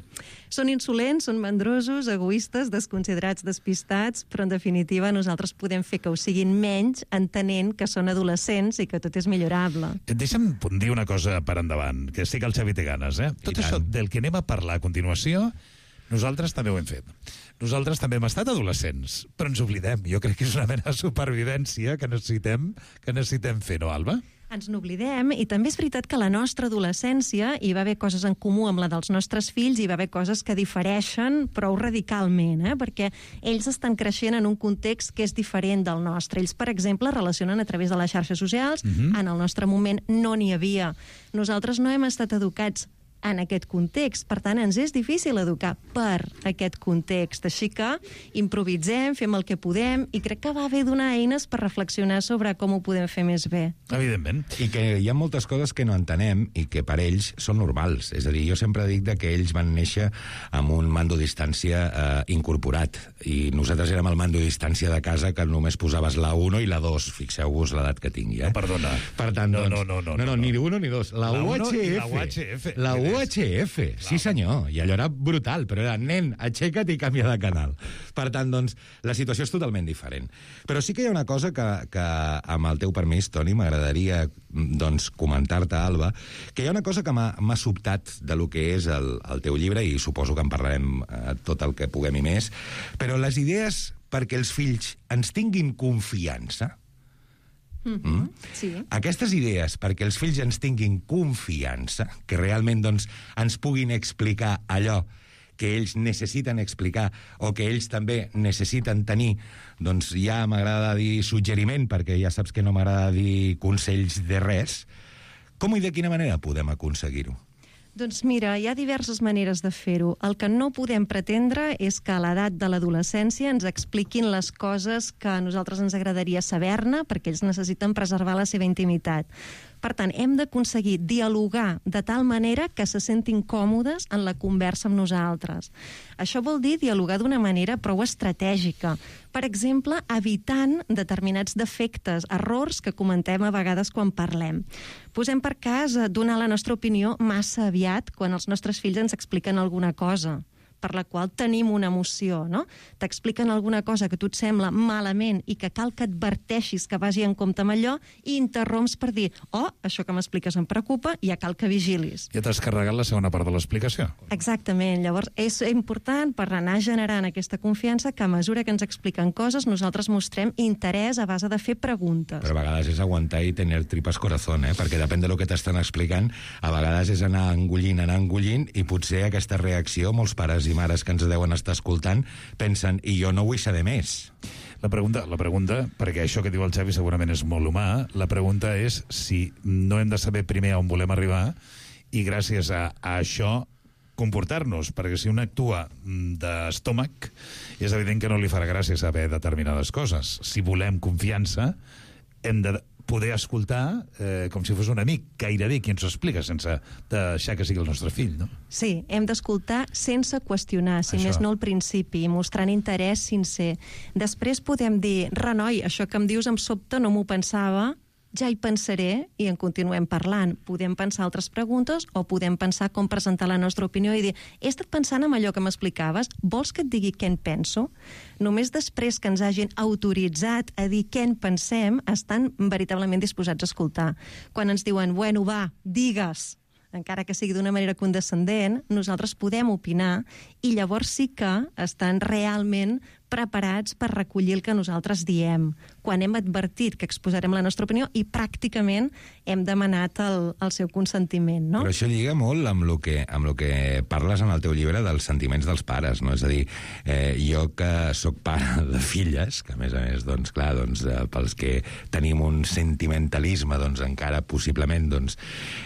són insolents, són mandrosos, egoistes, desconsiderats, despistats, però en definitiva nosaltres podem fer que ho siguin menys entenent que són adolescents i que tot és millorable. Deixa'm dir una cosa per endavant, que sí que el Xavi té ganes, eh? Tot això del que anem a parlar a continuació, nosaltres també ho hem fet. Nosaltres també hem estat adolescents, però ens oblidem. Jo crec que és una mena de supervivència que necessitem, que necessitem fer, no, Alba? Ens n'oblidem, i també és veritat que a la nostra adolescència hi va haver coses en comú amb la dels nostres fills, hi va haver coses que difereixen prou radicalment, eh? Perquè ells estan creixent en un context que és diferent del nostre. Ells, per exemple, relacionen a través de les xarxes socials, mm-hmm. En el nostre moment no n'hi havia. Nosaltres no hem estat educats en aquest context, per tant ens és difícil educar per aquest context, així que improvisem, fem el que podem i crec que va bé donar eines per reflexionar sobre com ho podem fer més bé. Evidentment. I que hi ha moltes coses que no entenem i que per ells són normals, és a dir, jo sempre dic de que ells van néixer amb un mando a distància eh, incorporat i nosaltres érem el mando a distància de casa que només posaves la uno i la dos, fixeu-vos l'edat que tingui, eh? No, perdona. Per tant, no, doncs, no, no, no, no, no, no, ni uno ni dos, la, la U H F, i la U H F. la U U H F, sí senyor, i allò era brutal, però era, nen, aixeca't i canvia de canal. Per tant, doncs, la situació és totalment diferent. Però sí que hi ha una cosa que, que amb el teu permís, Toni, m'agradaria doncs, comentar-te, Alba, que hi ha una cosa que m'ha sobtat de lo que és el, el teu llibre, i suposo que en parlarem eh, tot el que puguem i més, però les idees perquè els fills ens tinguin confiança, Mm-hmm. Mm? Sí. Aquestes idees perquè els fills ens tinguin confiança, que realment doncs, ens puguin explicar allò que ells necessiten explicar o que ells també necessiten tenir, doncs ja m'agrada dir suggeriment, perquè ja saps que no m'agrada dir consells de res. Com i de quina manera podem aconseguir-ho? Doncs mira, hi ha diverses maneres de fer-ho. El que no podem pretendre és que a l'edat de l'adolescència ens expliquin les coses que a nosaltres ens agradaria saber-ne, perquè ells necessiten preservar la seva intimitat. Per tant, hem d'aconseguir dialogar de tal manera que se sentin còmodes en la conversa amb nosaltres. Això vol dir dialogar d'una manera prou estratègica. Per exemple, evitant determinats defectes, errors que comentem a vegades quan parlem. Posem per cas donar la nostra opinió massa aviat quan els nostres fills ens expliquen alguna cosa per la qual tenim una emoció, no? T'expliquen alguna cosa que a tu et sembla malament i que cal que adverteixis que vagi en compte amb allò i interromps per dir, oh, això que m'expliques em preocupa i ja cal que vigilis. Ja t'has carregat la segona part de l'explicació. Exactament. Llavors, és important per anar generant aquesta confiança que a mesura que ens expliquen coses nosaltres mostrem interès a base de fer preguntes. Però a vegades és aguantar i tenir tripas corazón, eh? Perquè depèn de lo que t'estan explicant, a vegades és anar engollint, anar engollint, i potser aquesta reacció, molts pares i mares que ens deuen estar escoltant pensen, i jo no vull saber més. La pregunta, la pregunta, perquè això que diu el Xavi segurament és molt humà, la pregunta és si no hem de saber primer on volem arribar i gràcies a, a això comportar-nos, perquè si un actua d'estómac és evident que no li farà gràcia saber determinades coses. Si volem confiança, hem de poder escoltar eh, com si fos un amic, gairebé qui ens ho explica, sense deixar que sigui el nostre fill, no? Sí, hem d'escoltar sense qüestionar, si això. Més no al principi, mostrant interès sincer. Després podem dir, renoi, això que em dius em sobta, no m'ho pensava, ja hi pensaré i en continuem parlant. Podem pensar altres preguntes o podem pensar com presentar la nostra opinió i dir, he estat pensant en allò que m'explicaves, vols que et digui què en penso? Només després que ens hagin autoritzat a dir què en pensem, estan veritablement disposats a escoltar. Quan ens diuen, bueno, va, digues, encara que sigui d'una manera condescendent, nosaltres podem opinar i llavors sí que estan realment preparats per recollir el que nosaltres diem, quan hem advertit que exposarem la nostra opinió i pràcticament hem demanat el, el seu consentiment, no? Però això lliga molt amb el que, amb el que parles en el teu llibre dels sentiments dels pares, no? És a dir, eh, jo que sóc pare de filles, que a més a més, doncs, clar, doncs, eh, pels que tenim un sentimentalisme, doncs, encara possiblement, doncs,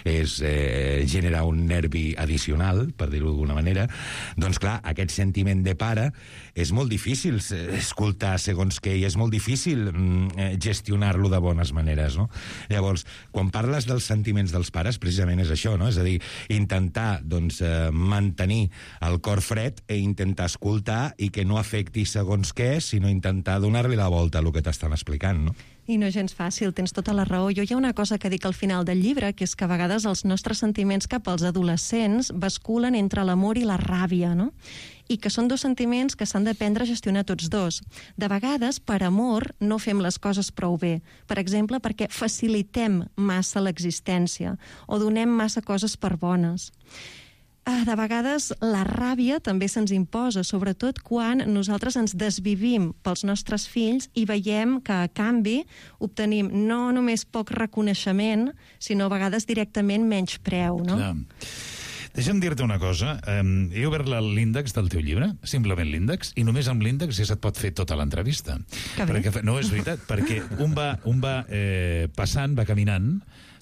és eh, generar un nervi addicional, per dir-ho d'alguna manera, doncs, clar, aquest sentiment de pare és molt difícil escoltar segons què i és molt difícil mm, gestionar-lo de bones maneres, no? Llavors, quan parles dels sentiments dels pares, precisament és això, no? És a dir, intentar, doncs, eh, mantenir el cor fred i intentar escoltar i que no afecti segons què, sinó intentar donar-li la volta a el que t'estan explicant, no? I no és gens fàcil, tens tota la raó. Jo hi ha una cosa que dic al final del llibre, que és que a vegades els nostres sentiments cap als adolescents basculen entre l'amor i la ràbia, no? I que són dos sentiments que s'han d'aprendre a gestionar tots dos. De vegades, per amor, no fem les coses prou bé. Per exemple, perquè facilitem massa l'existència o donem massa coses per bones. De vegades la ràbia també se'ns imposa, sobretot quan nosaltres ens desvivim pels nostres fills i veiem que a canvi obtenim no només poc reconeixement, sinó a vegades directament menys preu, no? Clar. Deixa'm dir-te una cosa. Um, he obert l'índex del teu llibre, simplement l'índex, i només amb l'índex ja se't pot fer tota l'entrevista. Perquè, no, és veritat, perquè un va, un va eh, passant, va caminant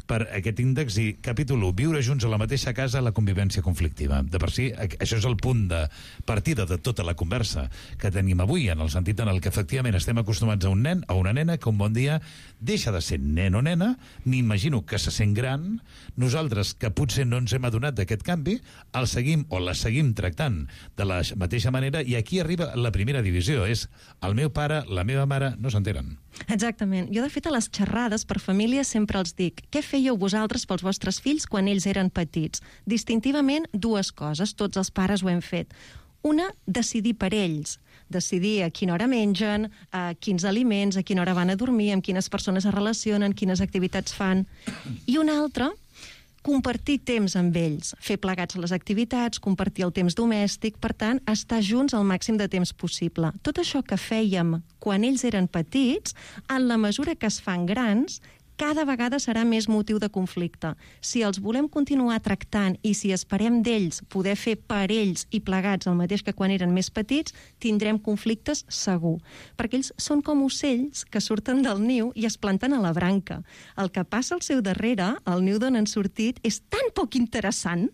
per aquest índex i capítol u, viure junts a la mateixa casa, la convivència conflictiva. De per si, això és el punt de partida de tota la conversa que tenim avui, en el sentit en el que efectivament estem acostumats a un nen, a una nena, que un bon dia deixa de ser nen o nena, m'imagino que se sent gran, nosaltres, que potser no ens hem adonat d'aquest canvi, el seguim o la seguim tractant de la mateixa manera, i aquí arriba la primera divisió, és el meu pare, la meva mare, no s'enteren. Exactament. Jo, de fet, a les xerrades per famílies sempre els dic: què fèieu vosaltres pels vostres fills quan ells eren petits? Distintivament, dues coses. Tots els pares ho hem fet. Una, decidir per ells. Decidir a quina hora mengen, a quins aliments, a quina hora van a dormir, amb quines persones es relacionen, quines activitats fan. I una altra, compartir temps amb ells, fer plegats a les activitats, compartir el temps domèstic, per tant, estar junts el màxim de temps possible. Tot això que fèiem quan ells eren petits, en la mesura que es fan grans, cada vegada serà més motiu de conflicte. Si els volem continuar tractant i si esperem d'ells poder fer per ells i plegats el mateix que quan eren més petits, tindrem conflictes segur. Perquè ells són com ocells que surten del niu i es planten a la branca. El que passa al seu darrere, el niu d'on han sortit, és tan poc interessant.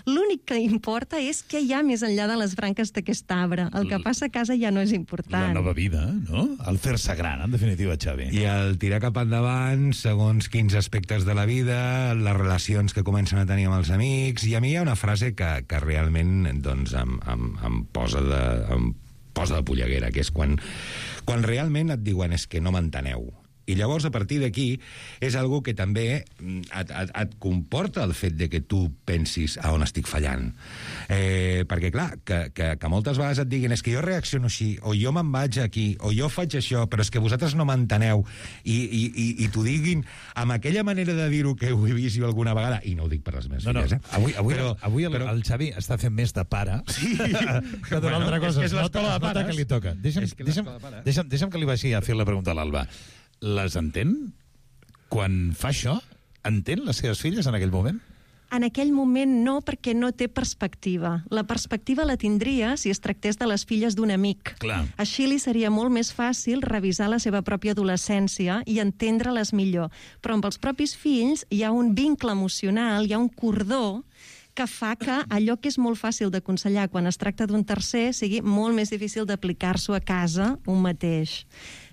L'únic que importa és què hi ha més enllà de les branques d'aquest arbre. El que passa a casa ja no és important. La nova vida, no? El fer-se gran, en definitiva, Xavi. I el tirar cap endavant, segons quins aspectes de la vida, les relacions que comencen a tenir amb els amics. I a mi hi ha una frase que, que realment doncs, em, em, em, posa de, em posa de polleguera, que és quan, quan realment et diuen és que no m'enteneu. I llavors, a partir d'aquí, és algo que també et, et, et comporta el fet de que tu pensis a on estic fallant. Eh, perquè, clar, que, que, que moltes vegades et diguin és que jo reacciono així, o jo me'n vaig aquí, o jo faig això, però és que vosaltres no m'enteneu, i, i, i, i t'ho diguin amb aquella manera de dir-ho que ho he vist jo alguna vegada, i no ho dic per les meves no, filles, no. eh? Avui, avui, però, avui el, però... el Xavi està fent més de pare sí. que d'una bueno, altra cosa. És que és l'escola de pares. Que li toca. Deixa'm, és que deixa'm, deixa'm, deixa'm que li vagi a fer la pregunta a l'Alba. Les entén? Quan fa això, entén les seves filles en aquell moment? En aquell moment no, perquè no té perspectiva. La perspectiva la tindria si es tractés de les filles d'un amic. Clar. Així li seria molt més fàcil revisar la seva pròpia adolescència i entendre-les millor. Però amb els propis fills hi ha un vincle emocional, hi ha un cordó que fa que allò que és molt fàcil d'aconsellar quan es tracta d'un tercer sigui molt més difícil d'aplicar-s'ho a casa un mateix.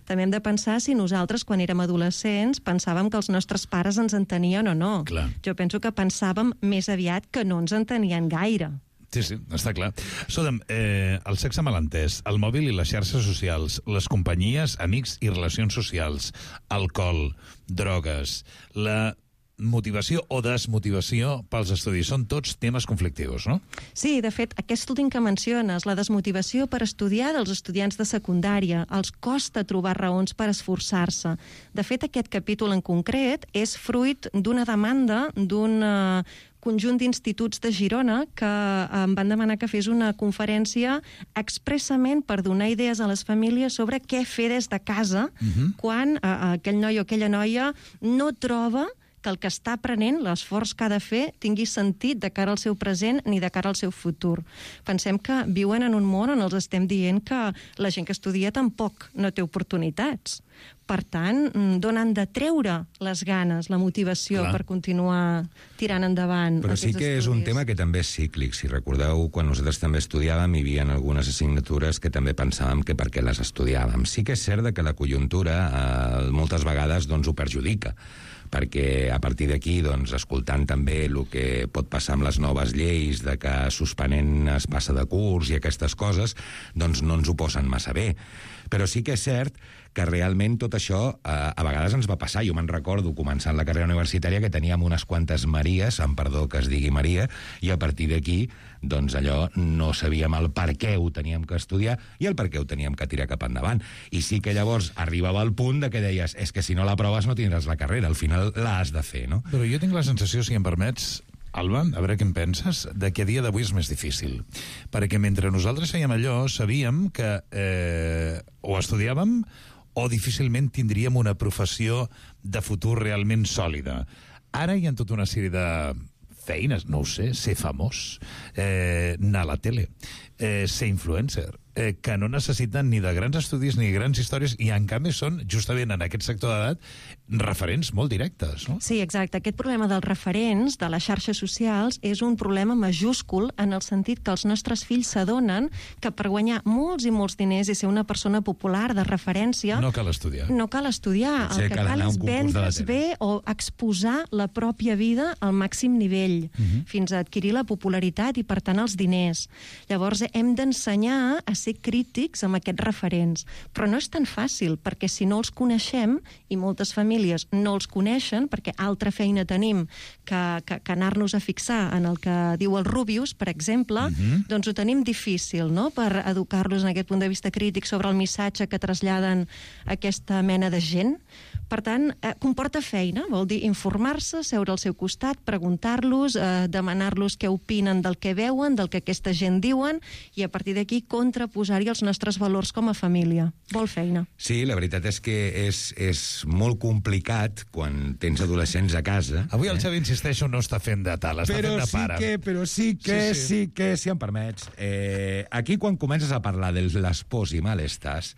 També hem de pensar si nosaltres, quan érem adolescents, pensàvem que els nostres pares ens entenien o no. Clar. Jo penso que pensàvem més aviat que no ens entenien gaire. Sí, sí, està clar. Escolta'm, eh, el sexe malentès, el mòbil i les xarxes socials, les companyies, amics i relacions socials, alcohol, drogues, la motivació o desmotivació pels estudis. Són tots temes conflictius, no? Sí, de fet, aquest últim que menciones, la desmotivació per estudiar dels estudiants de secundària, els costa trobar raons per esforçar-se. De fet, aquest capítol en concret és fruit d'una demanda d'un uh, conjunt d'instituts de Girona que em van demanar que fes una conferència expressament per donar idees a les famílies sobre què fer des de casa uh-huh. quan uh, aquell noi o aquella noia no troba que el que està aprenent, l'esforç que ha de fer, tingui sentit de cara al seu present ni de cara al seu futur. Pensem que viuen en un món on els estem dient que la gent que estudia tampoc no té oportunitats. Per tant, d'on han de treure les ganes, la motivació Clar. per continuar tirant endavant Però sí que estudis. És un tema que també és cíclic. Si recordeu, quan nosaltres també estudiàvem, hi havia algunes assignatures que també pensàvem que per què les estudiàvem. Sí que és cert que la conjuntura eh, moltes vegades doncs, ho perjudica, perquè a partir d'aquí, doncs, escoltant també el que pot passar amb les noves lleis de que suspenent es passa de curs i aquestes coses, doncs no ens ho posen massa bé. Però sí que és cert que realment tot això eh, a vegades ens va passar. Jo me'n recordo, començant la carrera universitària, que teníem unes quantes Maries, amb perdó que es digui Maria, i a partir d'aquí, doncs allò, no sabíem el per què ho teníem que estudiar i el per què ho teníem que tirar cap endavant. I sí que llavors arribava al punt de que deies, és que si no l'aproves no tindràs la carrera, al final l'has de fer, no? Però jo tinc la sensació, si em permets, Alba, a veure què en penses, de que a dia d'avui és més difícil. Perquè mentre nosaltres fèiem allò, sabíem que eh, o estudiàvem o difícilment tindríem una professió de futur realment sòlida. Ara hi ha tota una sèrie de feines, no ho sé, ser famós, eh, anar a la tele, eh, ser influencer, eh, que no necessiten ni de grans estudis ni grans històries i en canvi són, justament en aquest sector d'edat, referents molt directes, no? Sí, exacte. Aquest problema dels referents, de les xarxes socials, és un problema majúscul en el sentit que els nostres fills s'adonen que per guanyar molts i molts diners i ser una persona popular de referència... No cal estudiar. No cal estudiar. Sí, el que cal cal és un vendre's bé o exposar la pròpia vida al màxim nivell, uh-huh. fins a adquirir la popularitat i, per tant, els diners. Llavors, hem d'ensenyar a ser ser crítics amb aquests referents. Però no és tan fàcil, perquè si no els coneixem, i moltes famílies no els coneixen, perquè altra feina tenim que, que, que anar-nos a fixar en el que diu el Rubius, per exemple, uh-huh. doncs ho tenim difícil, no?, per educar-los en aquest punt de vista crític sobre el missatge que traslladen aquesta mena de gent. Per tant, eh, comporta feina, vol dir informar-se, seure al seu costat, preguntar-los, eh, demanar-los què opinen del que veuen, del que aquesta gent diuen, i a partir d'aquí contraposar-hi els nostres valors com a família. Vol feina. Sí, la veritat és que és, és molt complicat quan tens adolescents a casa. Avui el eh? Xavi, insisteixo, no està fent de tal, està però fent de sí pare. Que, però sí que, sí, sí. sí que, si em permets, eh, aquí quan comences a parlar de les pors i malestars,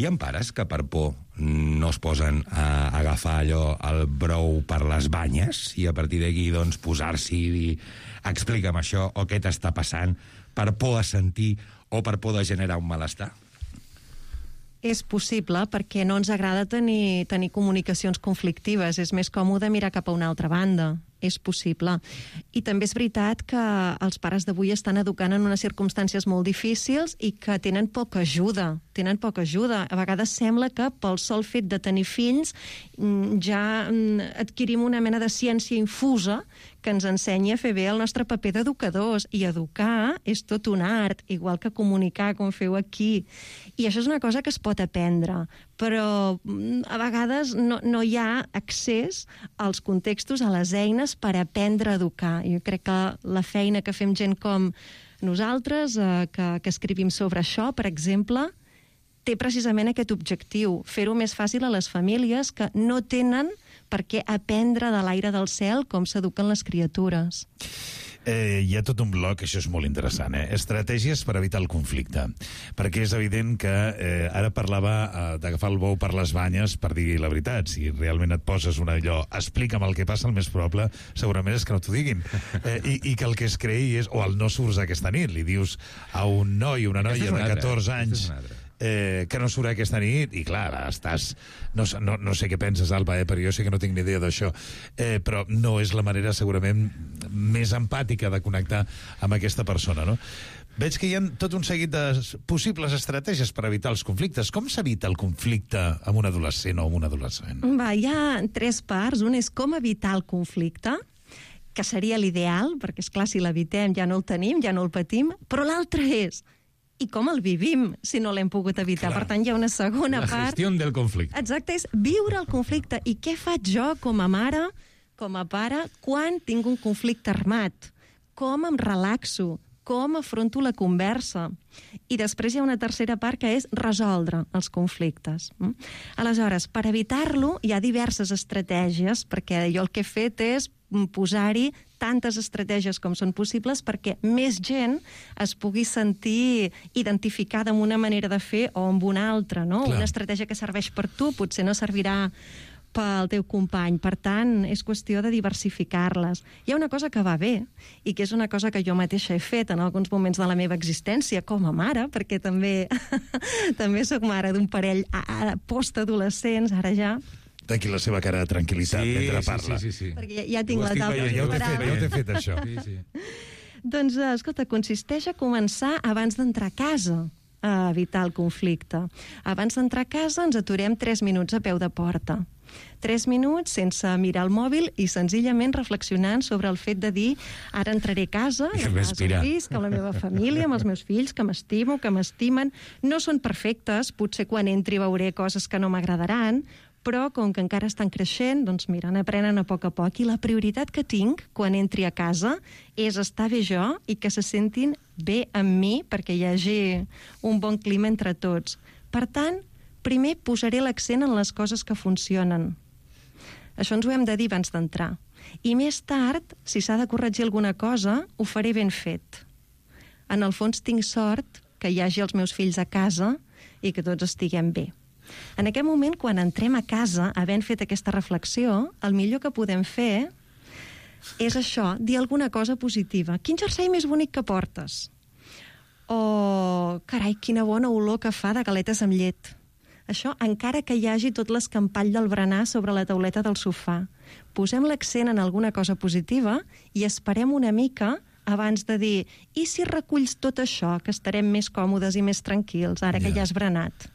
hi ha pares que per por no es posen a agafar allò, el brou per les banyes, i a partir d'aquí doncs, posar-s'hi i dir explica'm això, o què t'està passant, per por a sentir o per por de generar un malestar? És possible, perquè no ens agrada tenir, tenir comunicacions conflictives. És més còmode mirar cap a una altra banda. És possible. I també és veritat que els pares d'avui estan educant en unes circumstàncies molt difícils i que tenen poca ajuda. Tenen poca ajuda. A vegades sembla que pel sol fet de tenir fills ja adquirim una mena de ciència infusa que ens ensenya a fer bé el nostre paper d'educadors. I educar és tot un art, igual que comunicar, com feu aquí. I això és una cosa que es pot aprendre, però a vegades no, no hi ha accés als contextos, a les eines per aprendre a educar. Jo crec que la feina que fem gent com nosaltres, eh, que, que escrivim sobre això, per exemple, té precisament aquest objectiu, fer-ho més fàcil a les famílies que no tenen per què aprendre de l'aire del cel com s'eduquen les criatures. Eh, hi ha tot un bloc, això és molt interessant, eh? Estratègies per evitar el conflicte. Perquè és evident que eh, ara parlava eh, d'agafar el bou per les banyes per dir la veritat. Si realment et poses una allò, explica'm el que passa, el més probable segurament és que no t'ho diguin. Eh, i, I que el que es creï és, o el no surts aquesta nit, li dius a un noi, una noia de catorze anys, Eh, que no surt aquesta nit, i clar, estàs... No, no, no sé què penses, Alba, eh, però jo sé que no tinc ni idea d'això, eh, però no és la manera segurament més empàtica de connectar amb aquesta persona, no? Veig que hi ha tot un seguit de possibles estratègies per evitar els conflictes. Com s'evita el conflicte amb un adolescent o amb un adolescent? Va, hi ha tres parts. Un és com evitar el conflicte, que seria l'ideal, perquè, és clar, si l'evitem ja no el tenim, ja no el patim, però l'altre és i com el vivim, si no l'hem pogut evitar. Clar. Per tant, hi ha una segona la part... La gestió del conflicte. Exacte, és viure el conflicte. I què faig jo, com a mare, com a pare, quan tinc un conflicte armat? Com em relaxo? Com afronto la conversa? I després hi ha una tercera part, que és resoldre els conflictes. Aleshores, per evitar-lo, hi ha diverses estratègies, perquè jo el que he fet és posar-hi tantes estratègies com són possibles perquè més gent es pugui sentir identificada amb una manera de fer o amb una altra, no? Clar. Una estratègia que serveix per tu potser no servirà pel teu company. Per tant, és qüestió de diversificar-les. Hi ha una cosa que va bé i que és una cosa que jo mateixa he fet en alguns moments de la meva existència com a mare, perquè també també soc mare d'un parell postadolescents, ara ja. D'aquí la seva cara de tranquil·litat sí, mentre parla. Sí, sí, sí. Perquè ja, ja tinc la taula ja preparada. Ja ho t'he fet, això. Sí, sí. Doncs, escolta, consisteix a començar abans d'entrar a casa a evitar el conflicte. Abans d'entrar a casa ens aturem tres minuts a peu de porta. Tres minuts sense mirar el mòbil i senzillament reflexionant sobre el fet de dir ara entraré a casa, I respirar. Visc, amb la meva família, amb els meus fills, que m'estimo, que m'estimen. No són perfectes, potser quan entri veuré coses que no m'agradaran, però com que encara estan creixent, doncs mira, n'aprenen a poc a poc. I la prioritat que tinc quan entri a casa és estar bé jo i que se sentin bé amb mi perquè hi hagi un bon clima entre tots. Per tant, primer posaré l'accent en les coses que funcionen. Això ens ho hem de dir abans d'entrar. I més tard, si s'ha de corregir alguna cosa, ho faré ben fet. En el fons tinc sort que hi hagi els meus fills a casa i que tots estiguem bé. En aquest moment, quan entrem a casa, havent fet aquesta reflexió, el millor que podem fer és això, dir alguna cosa positiva. Quin jersei més bonic que portes? O, carai, quina bona olor que fa de galetes amb llet. Això, encara que hi hagi tot l'escampall del berenar sobre la tauleta del sofà. Posem l'accent en alguna cosa positiva i esperem una mica abans de dir i si reculls tot això, que estarem més còmodes i més tranquils, ara que ja has berenat?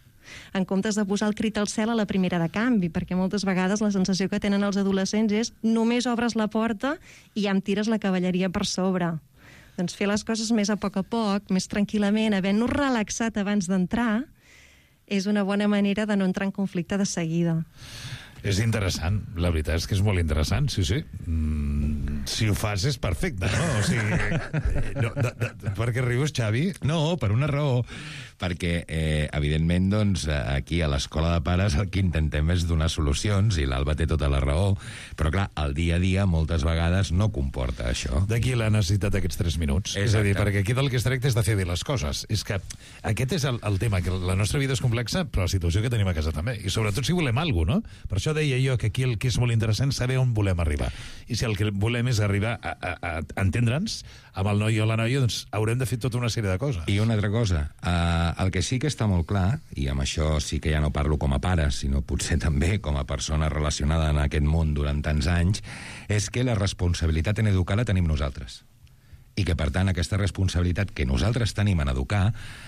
En comptes de posar el crit al cel a la primera de canvi, perquè moltes vegades la sensació que tenen els adolescents és només obres la porta i ja em tires la cavalleria per sobre. Doncs fer les coses més a poc a poc, més tranquil·lament, havent-nos relaxat abans d'entrar, és una bona manera de no entrar en conflicte de seguida. És interessant, la veritat és que és molt interessant, sí, sí. Mm, si ho fas és perfecte, no? O sigui, no, de, de, per què rius, Xavi? No, per una raó. Perquè, eh, evidentment, doncs, aquí a l'Escola de Pares el que intentem és donar solucions, i l'Alba té tota la raó, però, clar, el dia a dia moltes vegades no comporta això. D'aquí la necessitat d'aquests tres minuts. Exacte. És a dir, perquè aquí del que es tracta és de fer bé les coses. És que aquest és el, el tema, que la nostra vida és complexa, però la situació que tenim a casa també. I sobretot si volem alguna cosa, no? Per això deia jo que aquí el que és molt interessant és saber on volem arribar. I si el que volem és arribar a, a, a entendre'ns amb el noi o la noia, doncs haurem de fer tota una sèrie de coses. I una altra cosa, eh, el que sí que està molt clar, i amb això sí que ja no parlo com a pare, sinó potser també com a persona relacionada en aquest món durant tants anys, és que la responsabilitat en educar la tenim nosaltres. I que, per tant, aquesta responsabilitat que nosaltres tenim en educar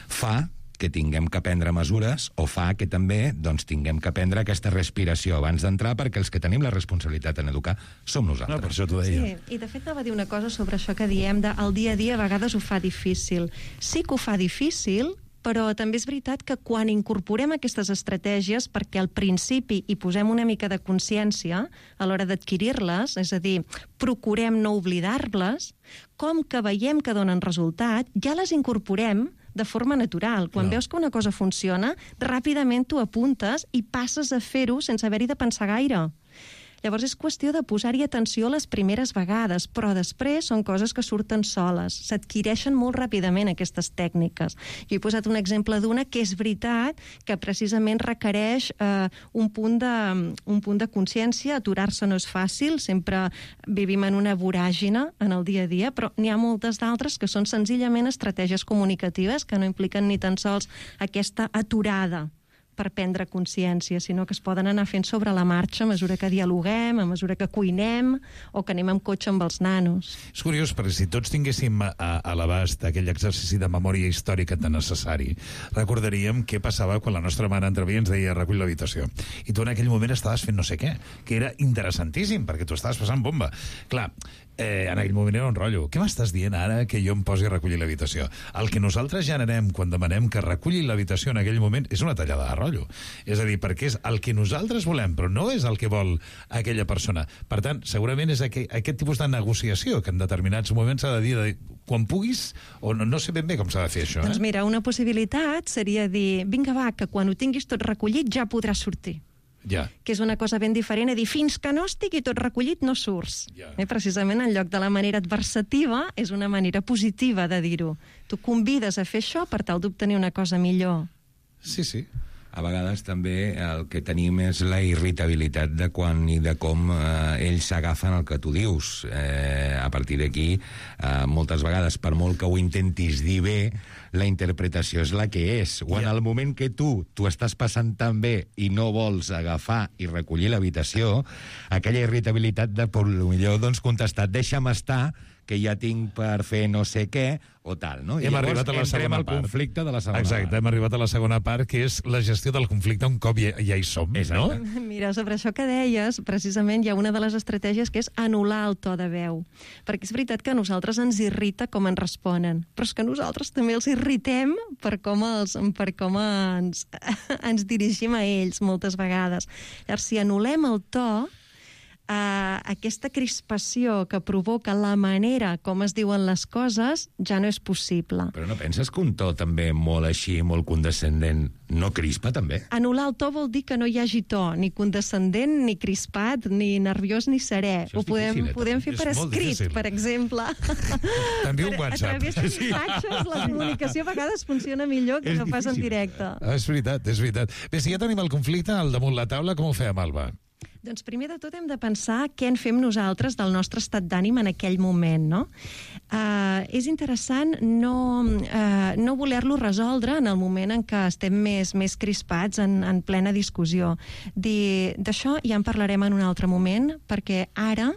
fa que tinguem que prendre mesures, o fa que també doncs, tinguem que prendre aquesta respiració abans d'entrar, perquè els que tenim la responsabilitat en educar som nosaltres. No, per això t'ho deia. Sí, i de fet anava a dir una cosa sobre això que diem de el dia a dia a vegades ho fa difícil. Sí que ho fa difícil, però també és veritat que quan incorporem aquestes estratègies, perquè al principi hi posem una mica de consciència a l'hora d'adquirir-les, és a dir, procurem no oblidar-les, com que veiem que donen resultat, ja les incorporem de forma natural. Quan veus que una cosa funciona, ràpidament t'ho apuntes i passes a fer-ho sense haver-hi de pensar gaire. Llavors és qüestió de posar-hi atenció les primeres vegades, però després són coses que surten soles. S'adquireixen molt ràpidament aquestes tècniques. Jo he posat un exemple d'una que és veritat que precisament requereix eh, un punt de, un punt de consciència. Aturar-se no és fàcil, sempre vivim en una voràgina en el dia a dia, però n'hi ha moltes d'altres que són senzillament estratègies comunicatives que no impliquen ni tan sols aquesta aturada per prendre consciència, sinó que es poden anar fent sobre la marxa a mesura que dialoguem, a mesura que cuinem o que anem amb cotxe amb els nanos. És curiós, perquè si tots tinguéssim a, a l'abast aquell exercici de memòria històrica tan necessari, recordaríem què passava quan la nostra mare entrevia i ens deia recull l'habitació. I tu en aquell moment estaves fent no sé què, que era interessantíssim, perquè tu estaves passant bomba. Clar, eh, en aquell moment era un rotllo. Què m'estàs dient ara que jo em posi a recollir l'habitació? El que nosaltres generem quan demanem que reculli l'habitació en aquell moment és una tallada de rotllo. És a dir, perquè és el que nosaltres volem, però no és el que vol aquella persona. Per tant, segurament és aquest, aquest tipus de negociació que en determinats moments s'ha de dir de, quan puguis, o no, no sé ben bé com s'ha de fer això. Eh? Doncs mira, una possibilitat seria dir, vinga va, que quan ho tinguis tot recollit ja podràs sortir. Ja. Que és una cosa ben diferent a dir, fins que no estigui tot recollit no surts. Ja. Eh, precisament en lloc de la manera adversativa és una manera positiva de dir-ho. Tu convides a fer això per tal d'obtenir una cosa millor. Sí, sí. A vegades també el que tenim és la irritabilitat de quan i de com eh, ells s'agafen el que tu dius. Eh, a partir d'aquí, eh, moltes vegades, per molt que ho intentis dir bé, la interpretació és la que és. O en el moment que tu t'ho estàs passant tan bé i no vols agafar i recollir l'habitació, aquella irritabilitat de, per millor, doncs, contestar, deixa'm estar, que ja tinc per fer no sé què, o tal, no? I hem llavors arribat a la entrem al part. conflicte de la segona Exacte, part. hem arribat a la segona part, que és la gestió del conflicte un cop ja, ja hi som, Exacte. no? Mira, sobre això que deies, precisament hi ha una de les estratègies que és anul·lar el to de veu. Perquè és veritat que a nosaltres ens irrita com ens responen, però és que nosaltres també els irritem per com, els, per com ens, ens dirigim a ells moltes vegades. Llavors, si anul·lem el to, Uh, aquesta crispació que provoca la manera com es diuen les coses ja no és possible. Però no penses que un to també molt així, molt condescendent, no crispa també? Anul·lar el to vol dir que no hi hagi to, ni condescendent, ni crispat, ni nerviós, ni serè. Això Ho és podem, difícil, eh, podem fer és per molt escrit, difícil. per exemple. T'envio un Per- WhatsApp. A través de missatges, la comunicació a vegades funciona millor que És no pas en difícil. directe. Ah, és veritat, és veritat. Bé, si ja tenim el conflicte al damunt la taula, com ho fem, Alba? Doncs primer de tot hem de pensar què en fem nosaltres del nostre estat d'ànim en aquell moment, no? Uh, és interessant no, uh, no voler-lo resoldre en el moment en què estem més, més crispats en, en plena discussió. D'això ja en parlarem en un altre moment, perquè ara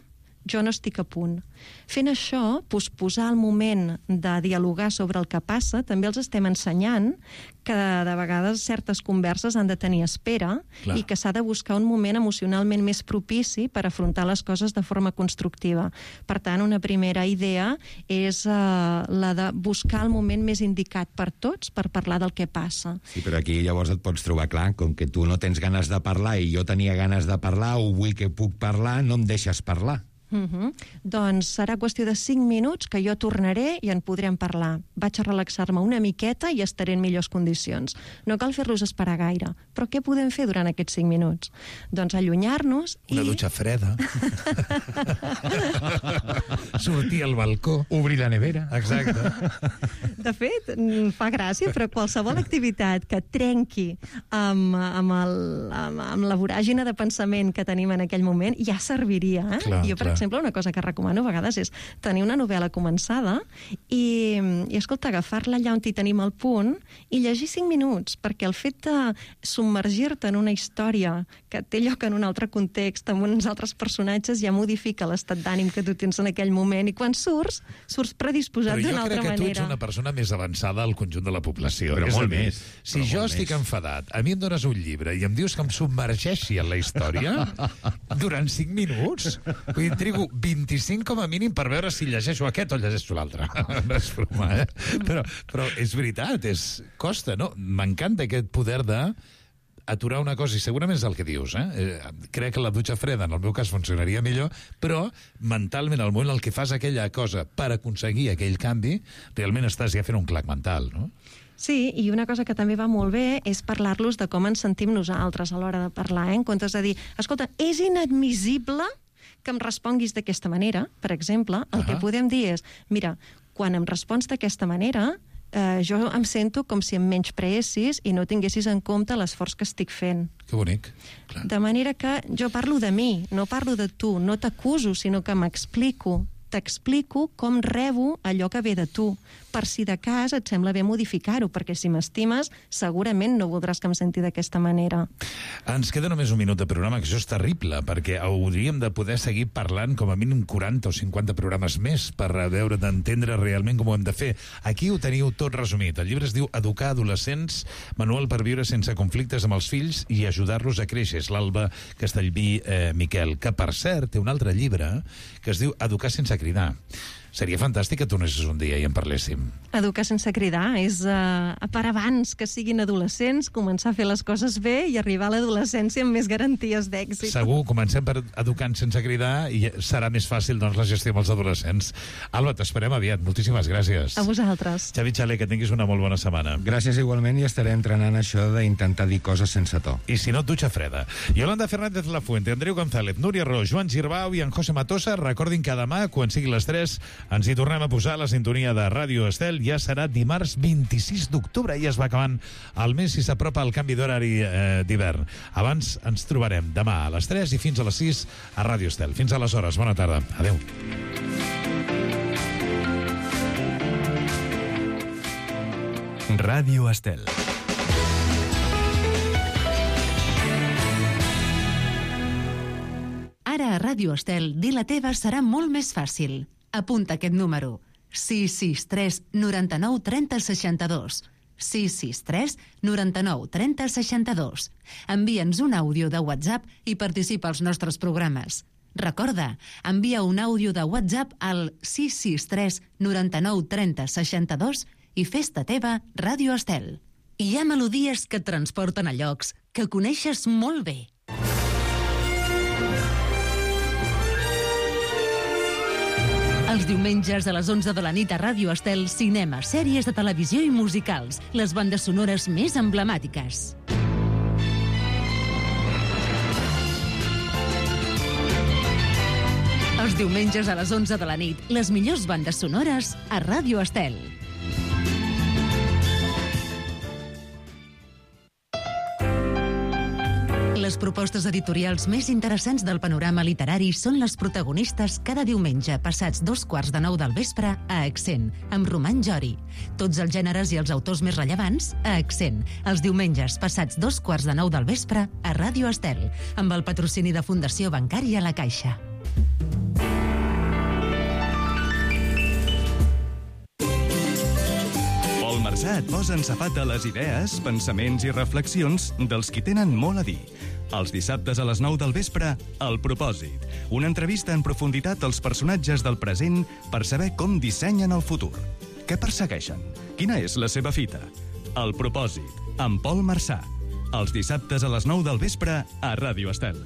jo no estic a punt. Fent això, posposar el moment de dialogar sobre el que passa, també els estem ensenyant que de vegades certes converses han de tenir espera Clar. I que s'ha de buscar un moment emocionalment més propici per afrontar les coses de forma constructiva. Per tant, una primera idea és uh, la de buscar el moment més indicat per tots per parlar del que passa. Sí, però aquí llavors et pots trobar clar, com que tu no tens ganes de parlar i jo tenia ganes de parlar o vull que puc parlar, no em deixes parlar. Uh-huh. Doncs serà qüestió de cinc minuts que jo tornaré i en podrem parlar. Vaig a relaxar-me una miqueta i estaré en millors condicions. No cal fer-los esperar gaire. Però què podem fer durant aquests cinc minuts? Doncs allunyar-nos i... Una dutxa freda. Sortir al balcó. Obrir la nevera. Exacte. De fet, fa gràcia, però qualsevol activitat que trenqui amb, amb, el, amb, amb la voràgina de pensament que tenim en aquell moment ja serviria. Eh? Clar, jo, per clar. exemple, una cosa que recomano a vegades és tenir una novel·la començada i, i escolta, agafar-la allà on hi tenim el punt i llegir cinc minuts, perquè el fet de submergir-te en una història que té lloc en un altre context, amb uns altres personatges, ja modifica l'estat d'ànim que tu tens en aquell moment, i quan surts, surts predisposat d'una altra manera. Però jo crec que tu ets una persona més avançada al conjunt de la població. Però és molt a dir, més. Si Però jo molt estic més. enfadat, a mi em dones un llibre i em dius que em submergeixi en la història durant cinc minuts, vull dir, trigo vint-i-cinc com a mínim per veure si llegeixo aquest o llegeixo l'altre. No és broma, eh? Però, però és veritat, és, costa, no? M'encanta aquest poder de aturar una cosa, i segurament és el que dius, eh? eh? Crec que la dutxa freda, en el meu cas, funcionaria millor, però mentalment, al moment en què fas aquella cosa per aconseguir aquell canvi, realment estàs ja fent un clac mental, no? Sí, i una cosa que també va molt bé és parlar-los de com ens sentim nosaltres a l'hora de parlar, eh? En comptes de dir, escolta, és inadmissible que em responguis d'aquesta manera, per exemple, el uh-huh. que podem dir és, mira, quan em respons d'aquesta manera, eh, jo em sento com si em menyspreessis i no tinguessis en compte l'esforç que estic fent. Que bonic. Clar. De manera que jo parlo de mi, no parlo de tu, no t'acuso, sinó que m'explico. T'explico com rebo allò que ve de tu, per si de cas et sembla bé modificar-ho, perquè si m'estimes segurament no voldràs que em senti d'aquesta manera. Ens queda només un minut de programa, que això és terrible, perquè hauríem de poder seguir parlant com a mínim quaranta o cinquanta programes més per veure d'entendre realment com ho hem de fer. Aquí ho teniu tot resumit. El llibre es diu Educar adolescents, manual per viure sense conflictes amb els fills i ajudar-los a créixer. És l'Alba Castellví eh, Miquel, que per cert té un altre llibre que es diu Educar sense cridar. Seria fantàstic que tornessis un dia i en parléssim. Educar sense cridar és uh, per abans que siguin adolescents, començar a fer les coses bé i arribar a l'adolescència amb més garanties d'èxit. Segur, comencem per educant sense cridar i serà més fàcil, doncs, la gestió amb els adolescents. Alba, t'esperem aviat. Moltíssimes gràcies. A vosaltres. Xavi Xaler, que tinguis una molt bona setmana. Gràcies igualment, i estaré entrenant això d'intentar dir coses sense to. I si no, dutxa freda. Yolanda Fernández Lafuente, Andreu González, Núria Ro, Joan Girbau i en José Matosa. Recordin que demà, quan sigui les tres, ens hi tornem a posar la sintonia de Ràdio Estel. Ja serà dimarts vint-i-sis d'octubre. Ja es va acabant el mes i s'apropa el canvi d'horari eh, d'hivern. Abans ens trobarem demà a les tres i fins a les sis a Ràdio Estel. Fins aleshores, bona tarda. Adéu. Ràdio Estel. Ara a Ràdio Estel, dir la teva serà molt més fàcil. Apunta aquest número. sis sis tres noranta-nou trenta seixanta-dos. sis sis tres noranta-nou trenta seixanta-dos. Envia'ns un àudio de WhatsApp i participa als nostres programes. Recorda, envia un àudio de WhatsApp al sis sis tres noranta-nou trenta seixanta-dos i fes-te teva Ràdio Estel. Hi ha melodies que et transporten a llocs que coneixes molt bé. Els diumenges a les onze de la nit a Ràdio Estel, cinema, sèries de televisió i musicals, les bandes sonores més emblemàtiques. Els diumenges a les onze de la nit, les millors bandes sonores a Ràdio Estel. Les propostes editorials més interessants del panorama literari són les protagonistes cada diumenge passats dos quarts de nou del vespre a Accent, amb Roman Jori. Tots els gèneres i els autors més rellevants a Accent, els diumenges passats dos quarts de nou del vespre a Ràdio Estel, amb el patrocini de Fundació Bancària La Caixa. passar et posa ensapat a les idees, pensaments i reflexions dels qui tenen molt a dir. Els dissabtes a les nou del vespre, El Propòsit. Una entrevista en profunditat als personatges del present per saber com dissenyen el futur. Què persegueixen? Quina és la seva fita? El Propòsit, amb Pol Marçà. Els dissabtes a les nou del vespre a Ràdio Estel.